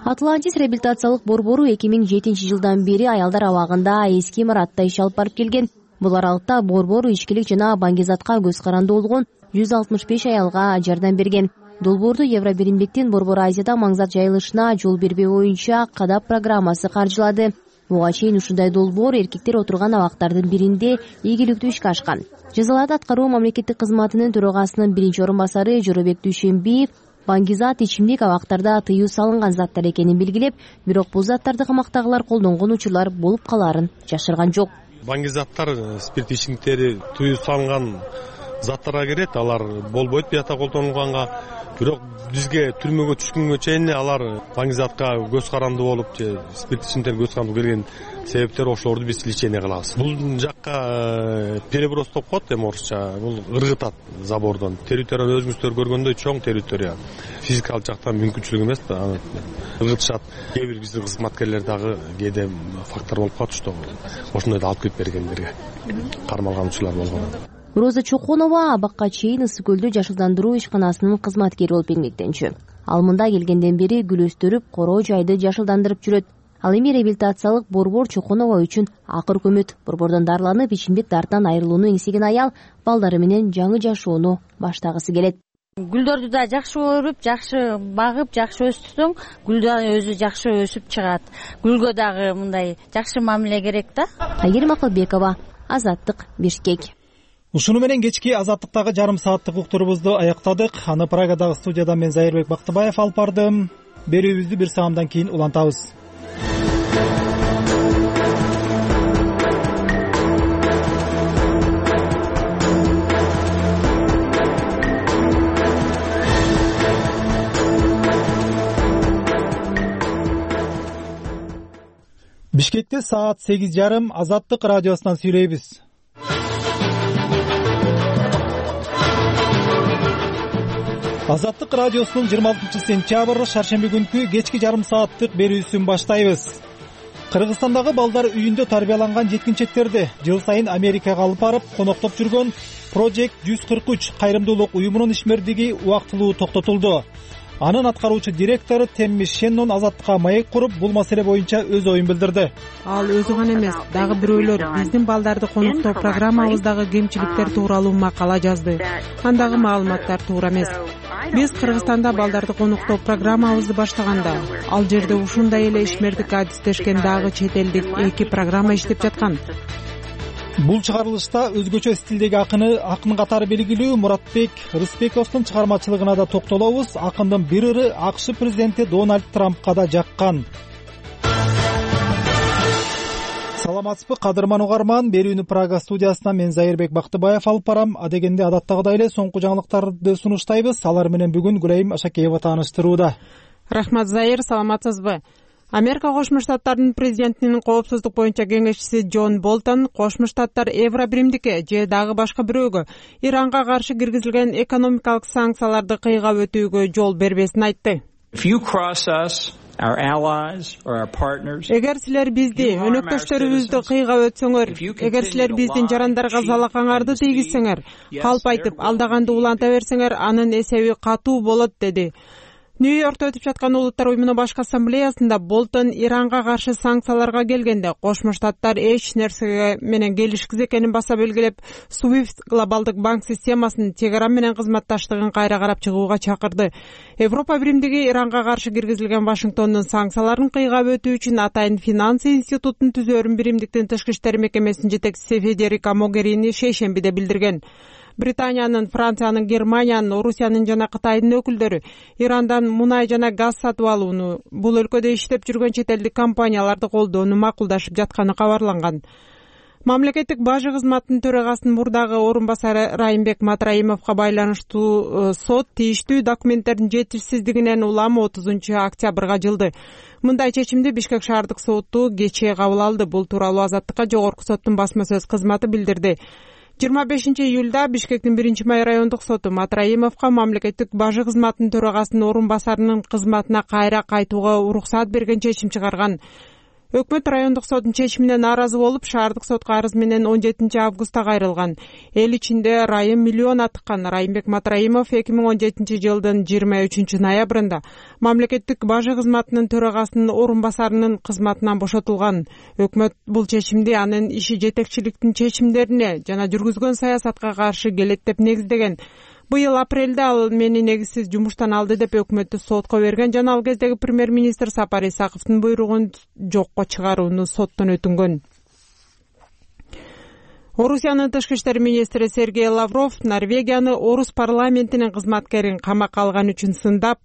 Атлантис реабилитациялык борбору эки миң жетинчи жылдан бери аялдар абагында эски имаратта иш алып барып келген. Бул аралыкта борбор ичкилик жана баңгизатка көз каранды болгон жүз алтымыш беш аялга жардам берген. Долбоорду Евробиримдиктин Борбор Азияда маңзат жайылышына жол бербөө боюнча кадап программасы каржылады. Буга чейин ушундай долбоор эркектер отурган абактардын биринде ийгиликтүү ишке ашкан. Жазаларды аткаруу мамлекеттик кызматынын төрагасынын биринчи орун басары Жоробек Дүйшөнбиев баңгизат ичимдик абактарда тыюу салынган заттар экенин белгилеп, бирок бул заттарды камактагылар колдонгон учурлар болуп калаарын жашырган жок. Баңгизаттар, спирт ичимдиктери тыюу салынган заттарга кирет, алар болбойт биякта колдонулганга. Бирок бизге түрмөгө түшкөнгө чейин алар баңгизатка көз каранды болуп, же спирт ичимдиктерге көз каранды келген себептер ошолорду биз лечение кылабыз. Бул жакка переброс деп коет, эми орусча. Бул ыргытат забордон. Территорияны өзүңүздөр көргөндөй чоң территория. Физикалык жактан мүмкүнчүлүк эмес да, аны ыргытышат. Кээ бир биздин кызматкерлер дагы кээде фактор болуп калат, что ошондойду алып кетип бергендерге кармалганчылар болгон. Роза Чоконова абакка чейин Ысык көлдө жашылдандыруу ишканасынын кызматкери болуп эмгектенчү. Ал мында келгенден бери гүл өстүрүп, короо жайды жашылдандырып жүрөт. Ал эми реабилитациялык борбор Чоконова үчүн акыр көмөт. Борбордон дарыланып, ичимдик дарттан айрылууну эңсеген аял балдары менен жаңы жашоону баштагысы келет. гүлдөрдү да жакшы өрүп, жакшы багып, жакшы өстүрсөң, гүл да өзү жакшы өсүп чыгат. Гүлгө дагы мындай жакшы мамиле керек да. Айгерим Акылбекова, Азаттык, Бишкек. Ушуну менен кечки Азаттыктагы жарым сааттык уктурубузду аяктадык. Аны Прагадагы студиядан мен Зайырбек Бактыбаев алып бардым. Берүүбүздү бир саамдан кийин улантабыз. Бишкекте саат сегиз жарым. Азаттык радиосунан сүйлөйбүз. Азаттык радиосунун жыйырма алтынчы сентябрь шаршемби күнкү кечки жарым сааттык берүүсүн баштайбыз. Кыргызстандагы балдар үйүндө тарбияланган жеткинчектерди жыл сайын Америкага алып барып коноктоп жүргөн Project жүз кырк үч кайрымдуулук уюмунун ишмердиги убактылуу токтотулду. Анын аткаруучу директору Темми Шеннон Азаттыкка маек куруп, бул маселе боюнча өз оюн билдирди. Ал өзү гана эмес, дагы бирөөлөр биздин балдарды коноктоо программабыздагы кемчиликтер тууралуу макала жазды. Андагы маалыматтар туура эмес. Биз Кыргызстанда балдарды коноктоо программабызды баштаганда, ал жерде ушундай эле ишмердикке адистешкен дагы чет элдик эки программа иштеп жаткан. Бул чыгарылышта өзгөчө стилдеги акыны акын катары белгилүү Муратбек Рыспековдун чыгармачылыгына да токтолобуз. Акындын бир ыры АКШ президенти Дональд Трампка да жаккан. Саламатсызбы, кадырман угарман. Берүүнү Прага студиясынан мен Зайырбек Бактыбаев алып барам. Адегенде адаттагыдай эле соңку жаңылыктарды сунуштайбыз. Алар менен бүгүн Гүлайым Ашакеева тааныштырууда. Рахмат, Зайыр, саламатсызбы? Америка Кошмо Штаттарынын президентинин коопсуздук боюнча кеңешчиси Джон Болтон Кошмо Штаттар Евробиримдикке же дагы башка бирөөгө Иранга каршы киргизилген экономикалык санкцияларды кыйгап өтүүгө жол бербесин айтты. Эгер силер бизди, өнөктөштөрүбүздү кыйгап өтсөңөр, эгер силер биздин жарандарга залакаңарды тийгизсеңер, калп айтып алдаганды уланта берсеңер, анын эсеби катуу болот, деди. Нью-Йоркто өтүп жаткан Улуттар уюмунун башкы ассамблеясында Болтон Иранга каршы санкцияларга келгенде Кошмо Штаттар эч нерсеге менен келишкиз экенин баса белгилеп, Swift глобалдык банк системасынын Тегеран менен кызматташтыгын кайра карап чыгууга чакырды. Европа биримдиги Иранга каршы киргизилген Вашингтондун санкцияларын кыйгап өтүү үчүн атайын финанс институтун түзөөрүн биримдиктин тышкы иштер мекемесинин жетекчиси Федерика Могерини шейшембиде билдирген. Британиянын, Франциянын, Германиянын, Орусиянын жана Кытайдын өкүлдөрү Ирандан мунай жана газ сатып алууну, бул өлкөдө иштеп жүргөн чет элдик компанияларды колдоону макулдашып жатканы кабарланган. Мамлекеттик бажы кызматынын төрагасынын мурдагы орун басары Райымбек Матраимовго байланыштуу сот тийиштүү документтердин жетишсиздигинен улам отузунчу октябрга жылды. Мындай чечимди Бишкек шаардык соту кечээ кабыл алды. Бул тууралуу Азаттыкка жогорку соттун басма сөз кызматы билдирди. жыйырма бешинчи июлда Бишкектин биринчи май райондук соту Матраимовго мамлекеттик бажы кызматынын төрагасынын орун басарынын кызматына кайра кайтууга уруксат берген чечим чыгарган. Өкмөт райондук соттун чечимине нааразы болуп, шаардык сотко арыз менен он жетинчи августта кайрылган. Эл ичинде райым миллион атыккан. Райымбек Матраимов эки миң он жетинчи жылдын жыйырма үчүнчү ноябрында мамлекеттик бажы кызматынын төрагасынын орун басарынын кызматынан бошотулган. Өкмөт бул чечимди анын иши жетекчиликтин чечимдерине жана жүргүзгөн саясатка каршы келет деп негиздеген. Быйыл апрелде ал мени негизсиз жумуштан алды деп өкмөттү сотко берген жана ал кездеги премьер-министр Сапар Исаковдун буйругун жокко чыгарууну соттон өтүнгөн. Орусиянын тышкы иштер министри Сергей Лавров Норвегияны орус парламентинин кызматкерин камакка алган үчүн сындап,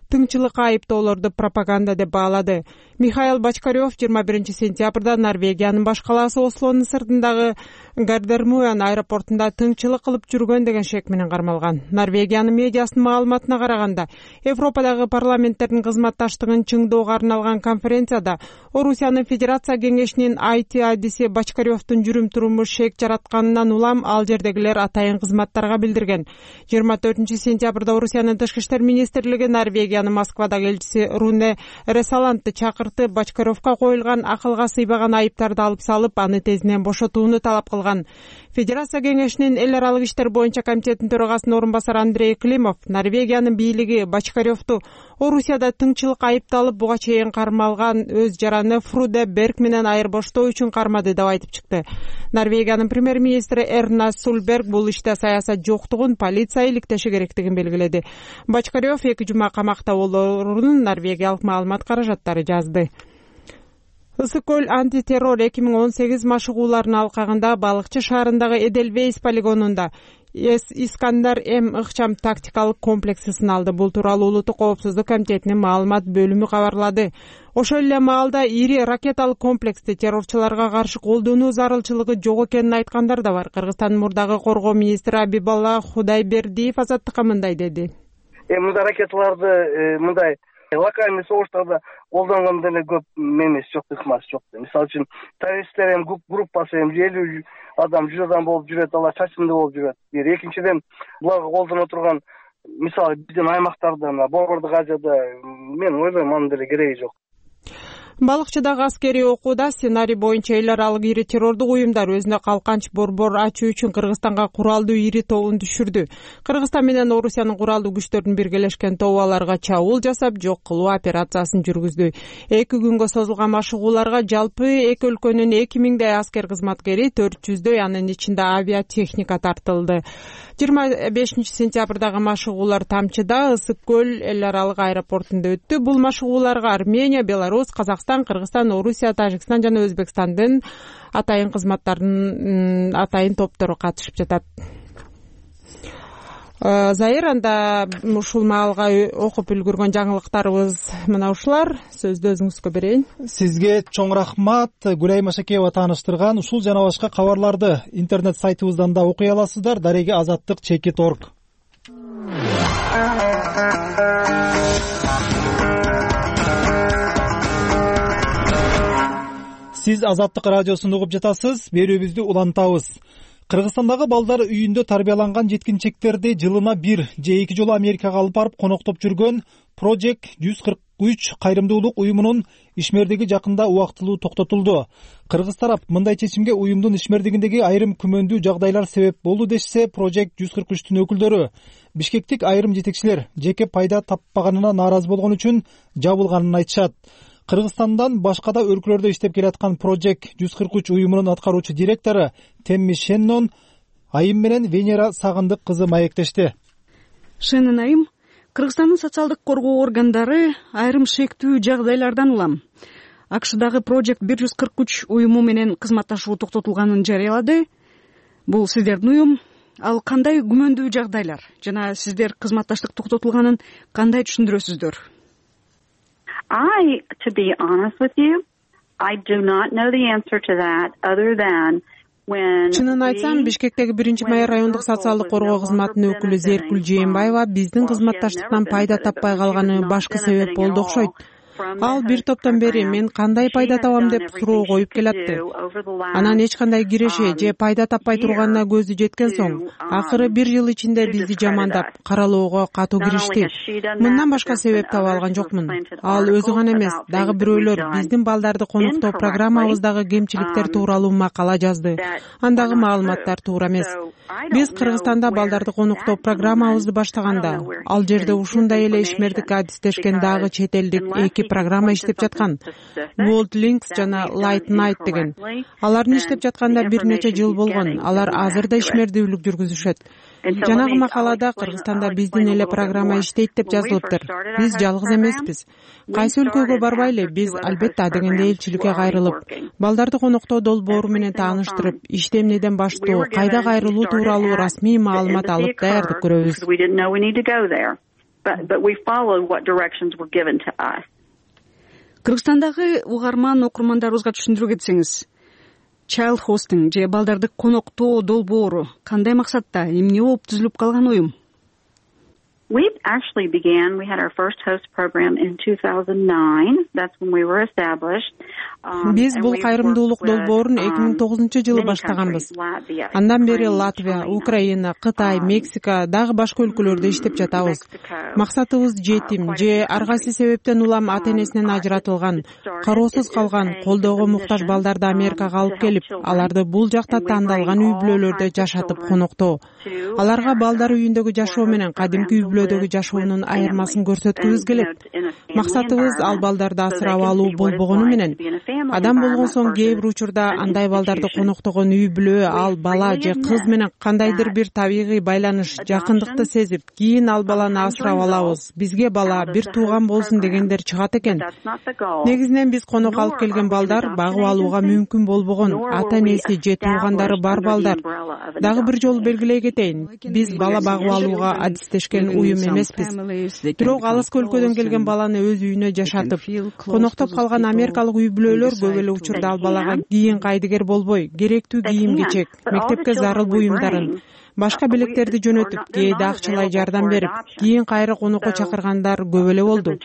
тыңчылыкка айыптоолорду пропаганда деп баалады. Михаил Бочкарев жыйырма биринчи сентябрда Норвегиянын баш калаасы Ослонун сыртындагы Гардермуен аэропортунда тыңчылык кылып жүргөн деген шек менен кармалган. Норвегиянын медиасынын маалыматына караганда, Европадагы парламенттердин кызматташтыгын чыңдоого арналган конференцияда Орусиянын Федерация кеңешинин ай ти адиси Бочкаревдун жүрүм-туруму шек жаратканынан улам ал жердегилер атайын кызматтарга билдирген. жыйырма төртүнчү сентябрда Орусиянын тышкы иштер министрлиги Норвегиянын Норвегиянын Москвадагы элчиси Руне Ресалантты чакыртып, Бочкаревго коюлган акылга сыйбаган айыптарды алып салып, аны тезинен бошотууну талап кылган. Федерация кеңешинин эл аралык иштер боюнча комитетинин төрагасынын орун басары Андрей Климов Норвегиянын бийлиги Бочкаревду Орусияда тыңчылык айыпталып, буга чейин кармалган өз жараны Фруде Берг менен айырбоштоо үчүн кармады деп айтып чыкты. Норвегиянын премьер-министри Эрна Сульберг бул иште саясат жоктугун, полиция иликтеши керектигин белгиледи. Бочкарев эки жума камакта болоорун норвегиялык маалымат каражаттары жазды. Ысык көл антитеррор эки миң он сегиз машыгууларынын алкагында Балыкчы шаарындагы Эдельвейс полигонунда Искандар М ыкчам тактикалык комплекси сыналды. Бул тууралуу Улуттук коопсуздук комитетинин маалымат бөлүмү кабарлады. Ошол эле маалда ири ракеталык комплексти террорчуларга каршы колдонуу зарылчылыгы жок экенин айткандар да бар. Кыргызстандын мурдагы коргоо министри Абибалла Худайбердиев Азаттыкка мындай деди. Мындай ракеталарды мындай локальный согуштарда колдонгон деле көп эмес жок, ыкмасы жок. Мисалы үчүн террористтер эми группасы эми элүү адам, жүз адам болуп жүрөт, алар чачымды болуп жүрөт. Бир экинчиден буларга колдоно турган мисалы биздин аймактарда, Борбордук Азияда мен ойлойм анын деле кереги жок. Балыкчыдагы аскерий окууда сценарий боюнча эл аралык ири террордук уюмдар өзүнө калканч борбор ачуу үчүн Кыргызстанга куралдуу ири тобун түшүрдү. Кыргызстан менен Орусиянын куралдуу күчтөрүнүн биргелешкен тобу аларга чабуул жасап, жок кылуу операциясын жүргүздү. Эки күнгө созулган машыгууларга жалпы эки өлкөнүн эки миңдей аскер кызматкери, төрт жүздөй анын ичинде авиатехника тартылды. жыйырма бешинчи сентябрдагы машыгуулар Тамчыда, Ысык көл эл аралык аэропортунда өттү. Бул машыгууларга Армения, Беларусь, Казакстан, Кыргызстан, Орусия, Тажикстан жана Өзбекстандын атайын кызматтарынын атайын топтору катышып жатат. Заир, анда ушул маалга окуп үлгүргөн жаңылыктарыбыз мына ушулар. Сөздү өзүңүзгө берейин. Сизге чоң рахмат. Гүлайым Ашакеева тааныштырган ушул жана башка кабарларды интернет сайтыбыздан да окуй аласыздар. Дареги азаттык чекит точка орг. Сиз Азаттык радиосун угуп жатасыз. Берүүбүздү улантабыз. Кыргызстандагы балдар үйүндө тарбияланган жеткинчектерди жылына бир же эки жолу Америкага алып барып коноктоп жүргөн Project жүз кырк үч кайрымдуулук уюмунун ишмердиги жакында убактылуу токтотулду. Кыргыз тарап мындай чечимге уюмдун ишмердигиндеги айрым күмөндүү жагдайлар себеп болду дешсе, Project жүз кырк үчтүн өкүлдөрү бишкектик айрым жетекчилер жеке пайда таппаганына нааразы болгон үчүн жабылганын айтышат. Кыргызстандан башка да өлкөлөрдө иштеп келаткан Project жүз кырк үч уюмунун аткаруучу директору Темми Шеннон Айым менен Венера Сагындык кызы маектешти. Шеннон Айым, Кыргызстандын социалдык коргоо органдары айрым шектүү жагдайлардан улам АКШдагы Project жүз кырк үч уюму менен кызматташуу токтотулганын жарыялады. Бул сиздердин уюм. Ал кандай күмөндүү жагдайлар жана сиздер кызматташтык токтотулганын кандай түшүндүрөсүздөр? I, to be honest with you, I do not know the answer to that other than when Чынын айтсам, Бишкектеги биринчи майыр райондук социалдык коргоо кызматынын өкүлү Зеркүл Жээнбаева биздин кызматташтыктан пайда таппай калганы башкы себеп болду окшойт. Ал бир топтон бери мен кандай пайда табам деп суроо коюп келатты. Анан эч кандай киреше же пайда таппай турганына көзү жеткен соң, акыры бир жыл ичинде бизди жамандап, каралоого катуу киришти. Мындан башка себеп таба алган жокмун. Ал өзү гана эмес, дагы бирөөлөр биздин балдарды коноктоо программабыздагы кемчиликтер тууралуу макала жазды. Андагы маалыматтар туура эмес. Биз Кыргызстанда балдарды коноктоо программабызды баштаганда, ал жерде ушундай эле ишмердик адистешкен дагы чет элдик эки программа иштеп жаткан. World Links жана Light Night деген. Алардын иштеп жатканда бир нече жыл болгон. Алар азыр да ишмердүүлүк жүргүзүшөт. Жанагы макалада Кыргызстанда биздин эле программа иштейт деп жазылыптыр. Биз жалгыз эмеспиз. Кайсы өлкөгө барбайлы, биз албетте адегенде элчиликке кайрылып, балдарды коноктоо долбоору менен тааныштырып, ишти эмнеден баштоо, кайда кайрылуу тууралуу расмий маалымат алып даярдык көрөбүз. Кыргызстандагы угарман окурмандарыбызга түшүндүрүп кетсеңиз, child hosting же балдарды коноктоо долбоору кандай максатта, эмне болуп түзүлүп калган уюм? We actually began, we had our first host program in two thousand nine. That's when we were established. Биз бул кайрымдуулук долбоорун эки миң тогузунчу жылы баштаганбыз. Андан бери Латвия, Украина, Кытай, Мексика, дагы башка өлкөлөрдө иштеп жатабыз. Максатыбыз жетим же ар кайсы себептен улам ата энесинен ажыратылган, кароосуз калган, колдоого муктаж балдарды Америкага алып келип, аларды бул жакта тандалган үй бүлөлөрдө жашатып коноктоо. Аларга балдар үйүндөгү жашоо менен кадимки үй бүлөдөгү жашоонун айырмасын көрсөткүбүз келет. Максатыбыз ал балдарды асырап алуу болбогону менен адам болгон соң кээ бир учурда андай балдарды коноктогон үй бүлө ал бала же кыз менен кандайдыр бир табигый байланыш, жакындыкты сезип, кийин ал баланы асырап алабыз, бизге бала бир тууган болсун дегендер чыгат экен. Негизинен биз конок алып келген балдар багып алууга мүмкүн болбогон, ата энеси же туугандары бар балдар. Дагы бир жолу белгилей кетейин, биз бала багып алууга адистешкен уюм эмеспиз. Бирок алыскы өлкөдөн келген баланы өз үйүнө жашатып, коноктоп калган америкалык үй бүлөлөр көп эле учурда ал балага кийин кайдыгер болбой, керектүү кийим-кечек, мектепке зарыл буюмдарын, башка белектерди жөнөтүп, кээде акчалай жардам берип, кийин кайра конокко чакыргандар көп эле болду.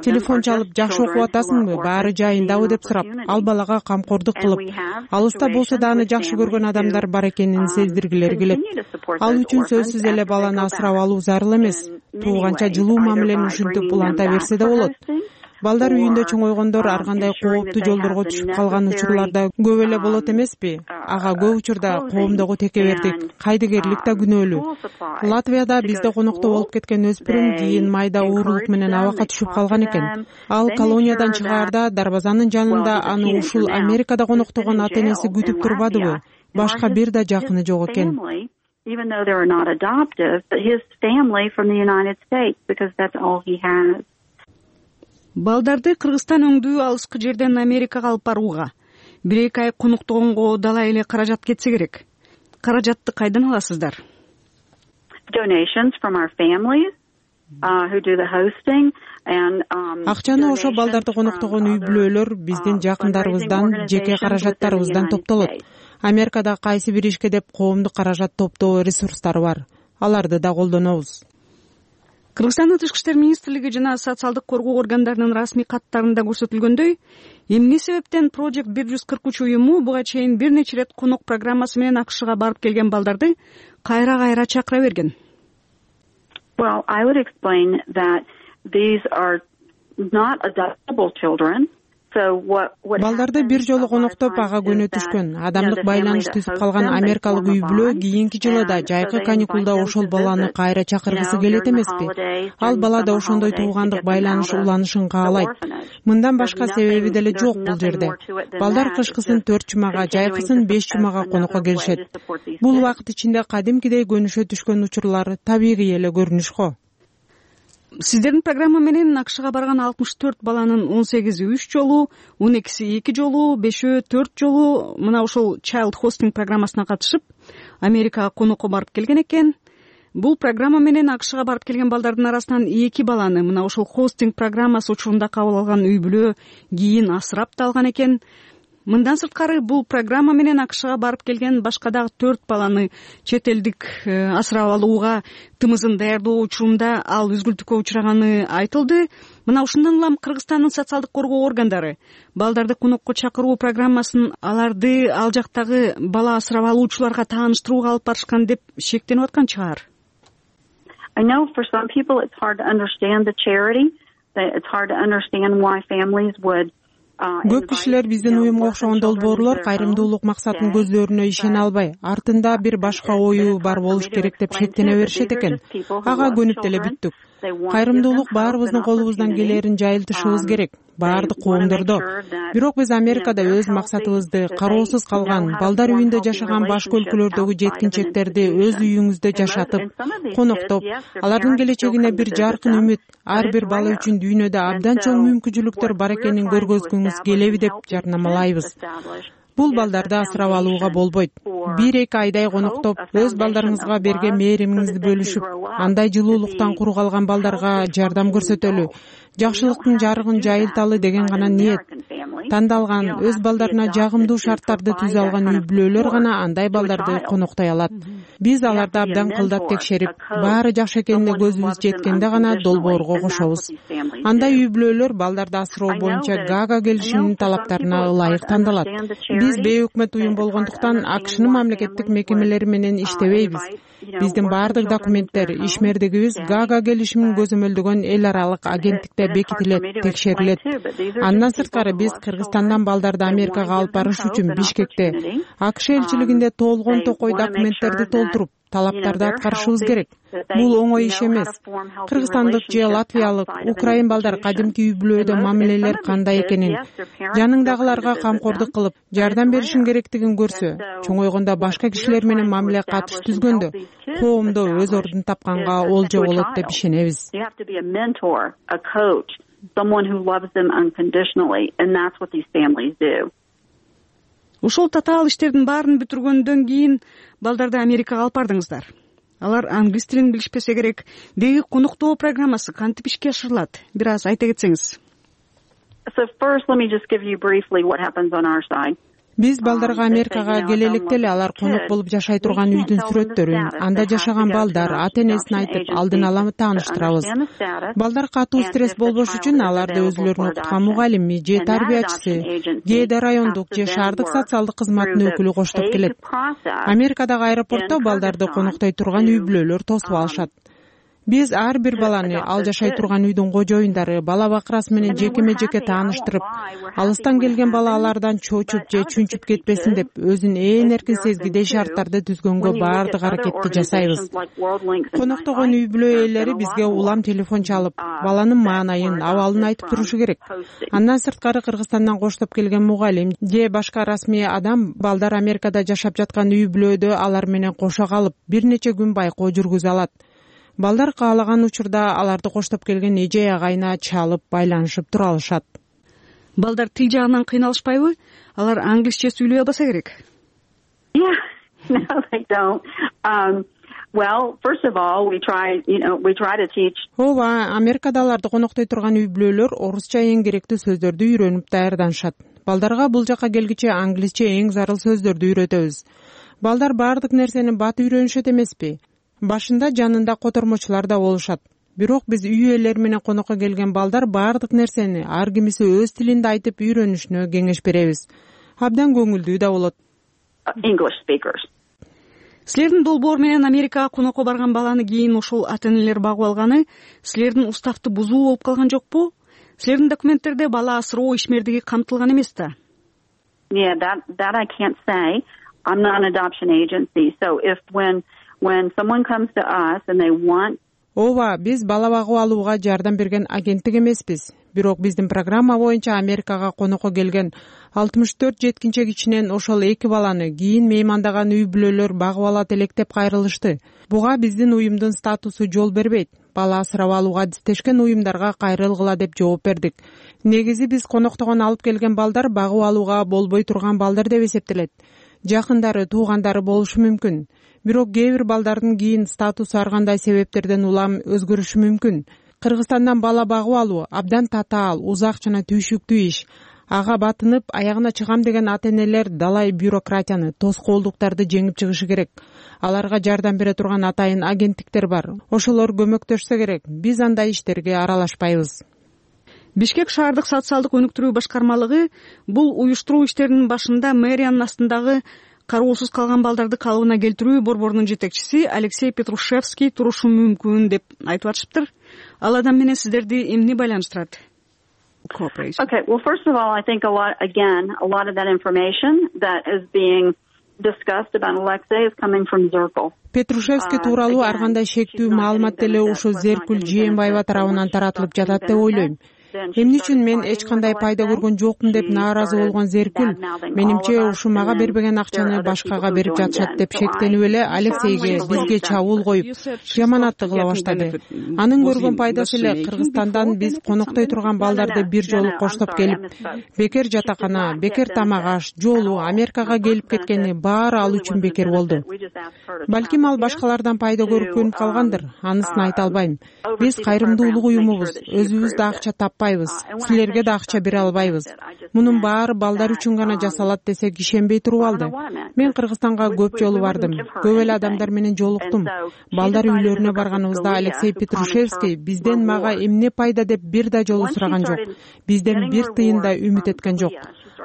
Телефон чалып, жакшы окуп атасыңбы, баары жайындабы деп сурап, ал балага камкордук кылып, алыста болсо да аны жакшы көргөн адамдар бар экенин сездиргилери келет. Ал үчүн сөзсүз эле баланы асырап алуу зарыл эмес. Тууганча жылуу мамилени ушинтип уланта берсе да болот. Балдар үйүндө чоңойгондор ар кандай кооптуу жолдорго түшүп калган учурларда көп эле болот эмеспи? Ага көп учурда коомдогу текебердик, кайдыгерлик да күнөөлүү. Латвияда бизде конокто болуп кеткен өспүрүм кийин майда оорулук менен абакка түшүп калган экен. Ал колониядан чыгаарда дарбазанын жанында аны ушул Америкада коноктогон ата энеси күтүп турбадыбы? Башка бир да жакыны жок экен. Even though they were not adoptive, but his family from the United States, because that's all he has. Балдарды Кыргызстан өңдүү алыскы жерден Америкага алып барууга бир эки ай коноктогонго далай эле каражат кетсе керек. Каражатты кайдан аласыздар? Donations from our families uh, who do the hosting and um Акчаны ошо балдарды коноктогон үй бүлөлөр биздин жакындарыбыздан, жеке каражаттарыбыздан топтолот. Америкада кайсы бир ишке деп коомдук каражат топтоо ресурстары бар. Аларды да колдонобуз. Кыргызстандын Тышкы иштер министрлиги жана социалдык коргоо органдарынын расмий каттарында көрсөтүлгөндөй, эмне себептен Project бир жүз кырк үч уюму буга чейин бир нече ирет конок программасы менен АКШга барып келген балдарды кайра-кайра чакыра берген? Well, I would explain that these are not adoptable children. Балдарды бир жолу коноктоп ага көнө түшкөн, адамдык байланыш түзүп калган америкалык үй бүлө кийинки жылы да жайкы каникулда ошол баланы кайра чакыргысы келет эмеспи? Ал бала да ошондой туугандык байланыш уланышын каалайт. Мындан башка себеби деле жок бул жерде. Балдар кышкысын төрт жумага, жайкысын беш жумага конокко келишет. Бул убакыт ичинде кадимкидей көнүшө түшкөн учурлар табигый эле көрүнүш го. Сиздердин программа менен АКШга барган алтымыш төрт баланын он сегизи үч жолу, он экиси эки жолу, бешөө төрт жолу мына ошол Child Hosting программасына катышып, Америкага конокко барып келген экен. Бул программа менен АКШга барып келген балдардын арасынан эки баланы мына ошол хостинг программасы учурунда кабыл алган үй бүлө кийин асырап да алган экен. Мындан сырткары бул программа менен АКШга барып келген башка дагы төрт баланы чет элдик асырап алууга тымызын даярдоо учурунда ал үзгүлтүккө учураганы айтылды. Мына ушундан улам Кыргызстандын социалдык коргоо органдары балдарды конокко чакыруу программасын аларды ал жактагы бала асырап алуучуларга тааныштырууга алып барышкан деп шектенип аткан чыгар. I know for some people it's hard to understand the charity. It's hard to understand why families would Көп кишилер биздин уюмга окшогон долбоорлор кайрымдуулук максатын көздөрүнө ишене албай, артында бир башка ою бар болуш керек деп шектене беришет экен. Ага көнүп деле бүттүк. Кайрымдуулук баарыбыздын колубуздан келерин жайылтышыбыз керек, баардык коомдордо. Бирок биз Америкада өз максатыбызды кароосуз калган, балдар үйүндө жашаган башка өлкөлөрдөгү жеткинчектерди өз үйүңүздө жашатып, коноктоп, алардын келечегине бир жаркын үмүт, ар бир бала үчүн дүйнөдө абдан чоң мүмкүнчүлүктөр бар экенин көргөзгүңүз келеби деп жарнамалайбыз. Бул балдарды асырап алууга болбойт. Бир эки айдай коноктоп, өз балдарыңызга берген мээримиңизди бөлүшүп, андай жылуулуктан куру калган балдарга жардам көрсөтөлү, жакшылыктын жарыгын жайылталы деген гана ниет. тандалган, өз балдарына жагымдуу шарттарды түзө алган үй бүлөлөр гана андай балдарды коноктой алат. Биз аларды абдан кылдап текшерип, баары жакшы экенине көзүбүз жеткенде гана долбоорго кошобуз. Андай үй бүлөлөр балдарды асыроо боюнча Гага келишиминин талаптарына ылайык тандалат. Биз бейөкмөт уюм болгондуктан АКШнын мамлекеттик мекемелери менен иштебейбиз. Биздин баардык документтер, ишмердигибиз Гага келишимин көзөмөлдөгөн эл аралык агенттикте бекитилет, текшерилет. Андан сырткары биз Кыргызстандан балдарды Америкага алып барыш үчүн Бишкекте АКШ элчилигинде толгон токой документтерди толтуруп, талаптарды аткарышыбыз керек. Бул оңой иш эмес. Кыргызстандык же латвиялык, украин балдар кадимки үй бүлөдө мамилелер кандай экенин, жаныңдагыларга камкордук кылып, жардам беришиң керектигин көрсө, чоңойгондо башка кишилер менен мамиле катыш түзгөндө коомдо өз ордун тапканга олжо болот деп ишенебиз. Ушул татаал иштердин баарын бүтүргөндөн кийин балдарды Америкага алып бардыңыздар. Алар англис тилин билишпесе керек. Деги коноктоо программасы кантип ишке ашырылат? Бир аз айта кетсеңиз. So first, let me just give you briefly what happens on our side. Биз балдарга Америкага келе электе эле алар конок болуп жашай турган үйдүн сүрөттөрүн, анда жашаган балдар, ата-энесин айтып, алдын ала тааныштырабыз. Балдар катуу стресс болбош үчүн аларды өзүлөрүн окуткан мугалими же тарбиячысы, кээде райондук же шаардык социалдык кызматтын өкүлү коштоп келет. Америкадагы аэропортто балдарды коноктой турган үй бүлөлөр тосуп алышат. Биз ар бир баланы ал жашай турган үйдүн кожоюндары, бала бакырасы менен жекеме-жеке тааныштырып, алыстан келген бала алардан чочуп же чүнчүп кетпесин деп, өзүн ээн эркин сезгидей шарттарды түзгөнгө баардык аракетти жасайбыз. Коноктогон үй бүлө ээлери бизге улам телефон чалып, баланын маанайын, абалын айтып турушу керек. Андан сырткары Кыргызстандан коштоп келген мугалим же башка расмий адам балдар Америкада жашап жаткан үй бүлөдө алар менен кошо калып, бир нече күн байкоо жүргүзө алат. Балдар каалаган учурда аларды коштоп келген эже агайына чалып, байланышып тура алышат. Балдар тил жагынан кыйналышпайбы? Алар англисче сүйлөй албаса керек. Yeah, no, they don't. Um, well, first of all, we try, you know, we try to teach. Ооба, Америкада аларды коноктой турган үй бүлөлөр орусча эң керектүү сөздөрдү үйрөнүп даярданышат. Балдарга бул жака келгиче англисче эң зарыл сөздөрдү үйрөтөбүз. Балдар баардык нерсени бат үйрөнүшөт эмеспи? Башында жанында котормочулар да болушат. Бирок биз үй ээлери менен конокко келген балдар баардык нерсени ар кимиси өз тилинде айтып үйрөнүшүнө кеңеш беребиз. Абдан көңүлдүү да болот. English speakers. Силердин долбоор менен Америкага конокко барган баланы кийин ошол ата-энелер багып алганы силердин уставты бузуу болуп калган жокпу? Силердин документтерде бала асыроо ишмердиги камтылган эмес да? Yeah, that that I can't say. I'm not an adoption agency. So if when when someone comes to us and they want Ооба, биз бала багып алууга жардам берген агенттик эмеспиз. Бирок биздин программа боюнча Америкага конокко келген алтымыш төрт жеткинчек ичинен ошол эки баланы кийин меймандаган үй бүлөлөр багып алат элек деп кайрылышты. Буга биздин уюмдун статусу жол бербейт. Бала асырап алууга адистешкен уюмдарга кайрылгыла деп жооп бердик. Негизи биз коноктогон алып келген балдар багып алууга болбой турган балдар деп эсептелет. Жакындары, туугандары болушу мүмкүн. Бирок кээ бир балдардын кийин статусу ар кандай себептерден улам өзгөрүшү мүмкүн. Кыргызстандан бала багып алуу абдан татаал, узак жана түйшүктүү иш. Ага батынып, аягына чыгам деген ата-энелер далай бюрократияны, тоскоолдуктарды жеңип чыгышы керек. Аларга жардам бере турган атайын агенттиктер бар. Ошолор көмөктөшсө керек. Биз андай иштерге аралашпайбыз. Бишкек шаардык социалдык өнүктүрүү башкармалыгы бул уюштуруу иштеринин башында мэриянын астындагы кароосуз калган балдарды калыбына келтирүү борборунун жетекчиси Алексей Петрушевский турушу мүмкүн деп айтып атышыптыр. Ал адам менен сиздерди эмне байланыштырат? Okay, well, first of all, I think a lot, again, a lot of that information that is being discussed about Alexei is coming from Zirkle. Петрушевский тууралуу ар кандай шектүү маалымат деле ушу Зеркүл Жээнбаева тарабынан таратылып жатат деп ойлойм. Эмне үчүн мен эч кандай пайда көргөн жокмун деп нааразы болгон Зеркүл, менимче ушу мага бербеген акчаны башкага берип жатышат деп шектенип эле Алексейге, бизге чабуул коюп, жаманатты кыла баштады. Анын көргөн пайдасы эле Кыргызстандан биз коноктой турган балдарды бир жолу коштоп келип, бекер жатакана, бекер тамак аш, жолу Америкага келип кеткени баары ал үчүн бекер болду. Балким ал башкалардан пайда көрүп көнүп калгандыр, анысын айта албайм. Биз кайрымдуулук уюмубуз, өзүбүз да акча таппайбыз. таппайбыз, силерге да акча бере албайбыз. Мунун баары балдар үчүн гана жасалат десек ишенбей туруп алды. Мен Кыргызстанга көп жолу бардым, көп эле адамдар менен жолуктум. Балдар үйлөрүнө барганыбызда Алексей Петрушевский бизден мага эмне пайда деп бир да жолу сураган жок. Бизден бир тыйын да үмүт эткен жок.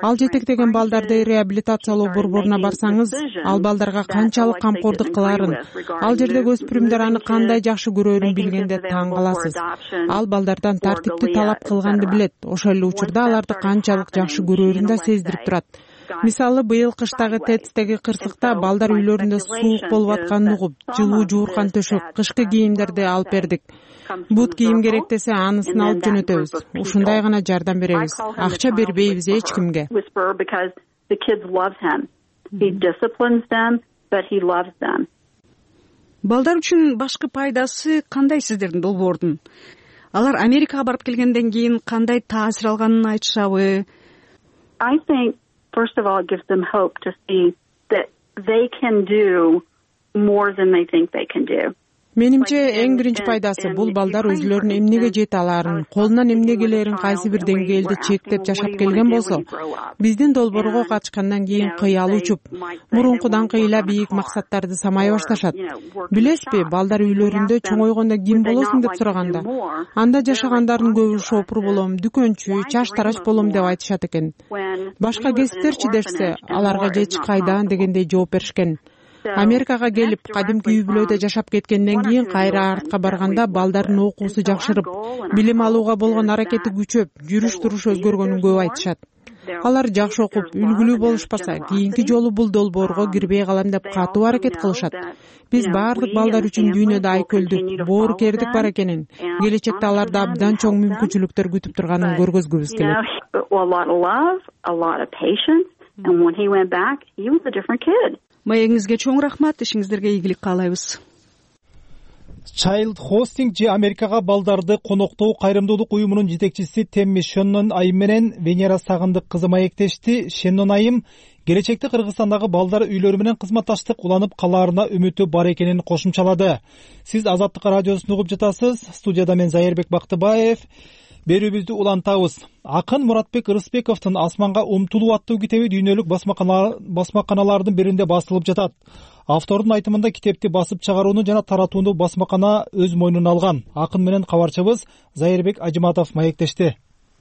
Ал жетектеген балдарды реабилитациялоо борборуна барсаңыз, ал балдарга канчалык камкордук кылаарын, ал жердеги өспүрүмдөр аны кандай жакшы көрөөрүн билгенде таң каласыз. Ал балдардан тартипти талап кылганды билет, ошол эле учурда аларды канчалык жакшы көрөөрүн да сездирип турат. Мисалы, быйыл кыштагы Тецтеги кырсыкта балдар үйлөрүндө суук болуп атканын угуп, жылуу жууркан төшөк, кышкы кийимдерди алып бердик. Бут кийим керек десе, анысын алып жөнөтөбүз. Ушундай гана жардам беребиз. Акча бербейбиз эч кимге. Балдар үчүн башкы пайдасы кандай сиздердин долбоордун? Алар Америкага барып келгенден кийин кандай таасир алганын айтышабы? I think, first of all, it gives them hope to see that they can do more than they think they can do. Менимче эң биринчи пайдасы бул балдар өзүлөрүнүн эмнеге жете алаарын, колунан эмне келерин кайсы бир деңгээлде чектеп жашап келген болсо, биздин долбоорго катышкандан кийин кыялы учуп, мурункудан кыйла бийик максаттарды самай башташат. Билесизби, балдар үйлөрүндө чоңойгондо ким болосуң деп сураганда, анда жашагандардын көбү шопур болом, дүкөнчү, чаш тарач болом деп айтышат экен. Башка кесиптерчи дешсе, аларга же эч кайдан дегендей жооп беришкен. Америкага келип, кадимки үй бүлөдө жашап кеткенден кийин кайра артка барганда балдардын окуусу жакшырып, билим алууга болгон аракети күчөп, жүрүш-туруш өзгөргөнүн көп айтышат. Алар жакшы окуп, үлгүлүү болушпаса, кийинки жолу бул долбоорго кирбей калам деп катуу аракет кылышат. Биз баардык балдар үчүн дүйнөдө айкөлдүк, боорукердик бар экенин, келечекте аларда абдан чоң мүмкүнчүлүктөр күтүп турганын көргөзгүбүз келет. Маегиңизге чоң рахмат, ишиңиздерге ийгилик каалайбыз. Child Hosting же Америкага балдарды коноктоо кайрымдуулук уюмунун жетекчиси Темми Шеннон айым менен Венера Сагындык кызы маектешти. Шеннон айым келечекте Кыргызстандагы балдар үйлөрү менен кызматташтык уланып калаарына үмүтү бар экенин кошумчалады. Сиз Азаттык радиосун угуп жатасыз. Студияда мен Зайырбек Бактыбаев. Берүүбүздү улантабыз. Акын Муратбек Рыспековдун Асманга умтулуу аттуу китеби дүйнөлүк басмаканалардын биринде басылып жатат. Автордун айтымында китепти басып чыгарууну жана таратууну басмакана өз мойнуна алган. Акын менен кабарчыбыз Зайырбек Ажыматов маектешти.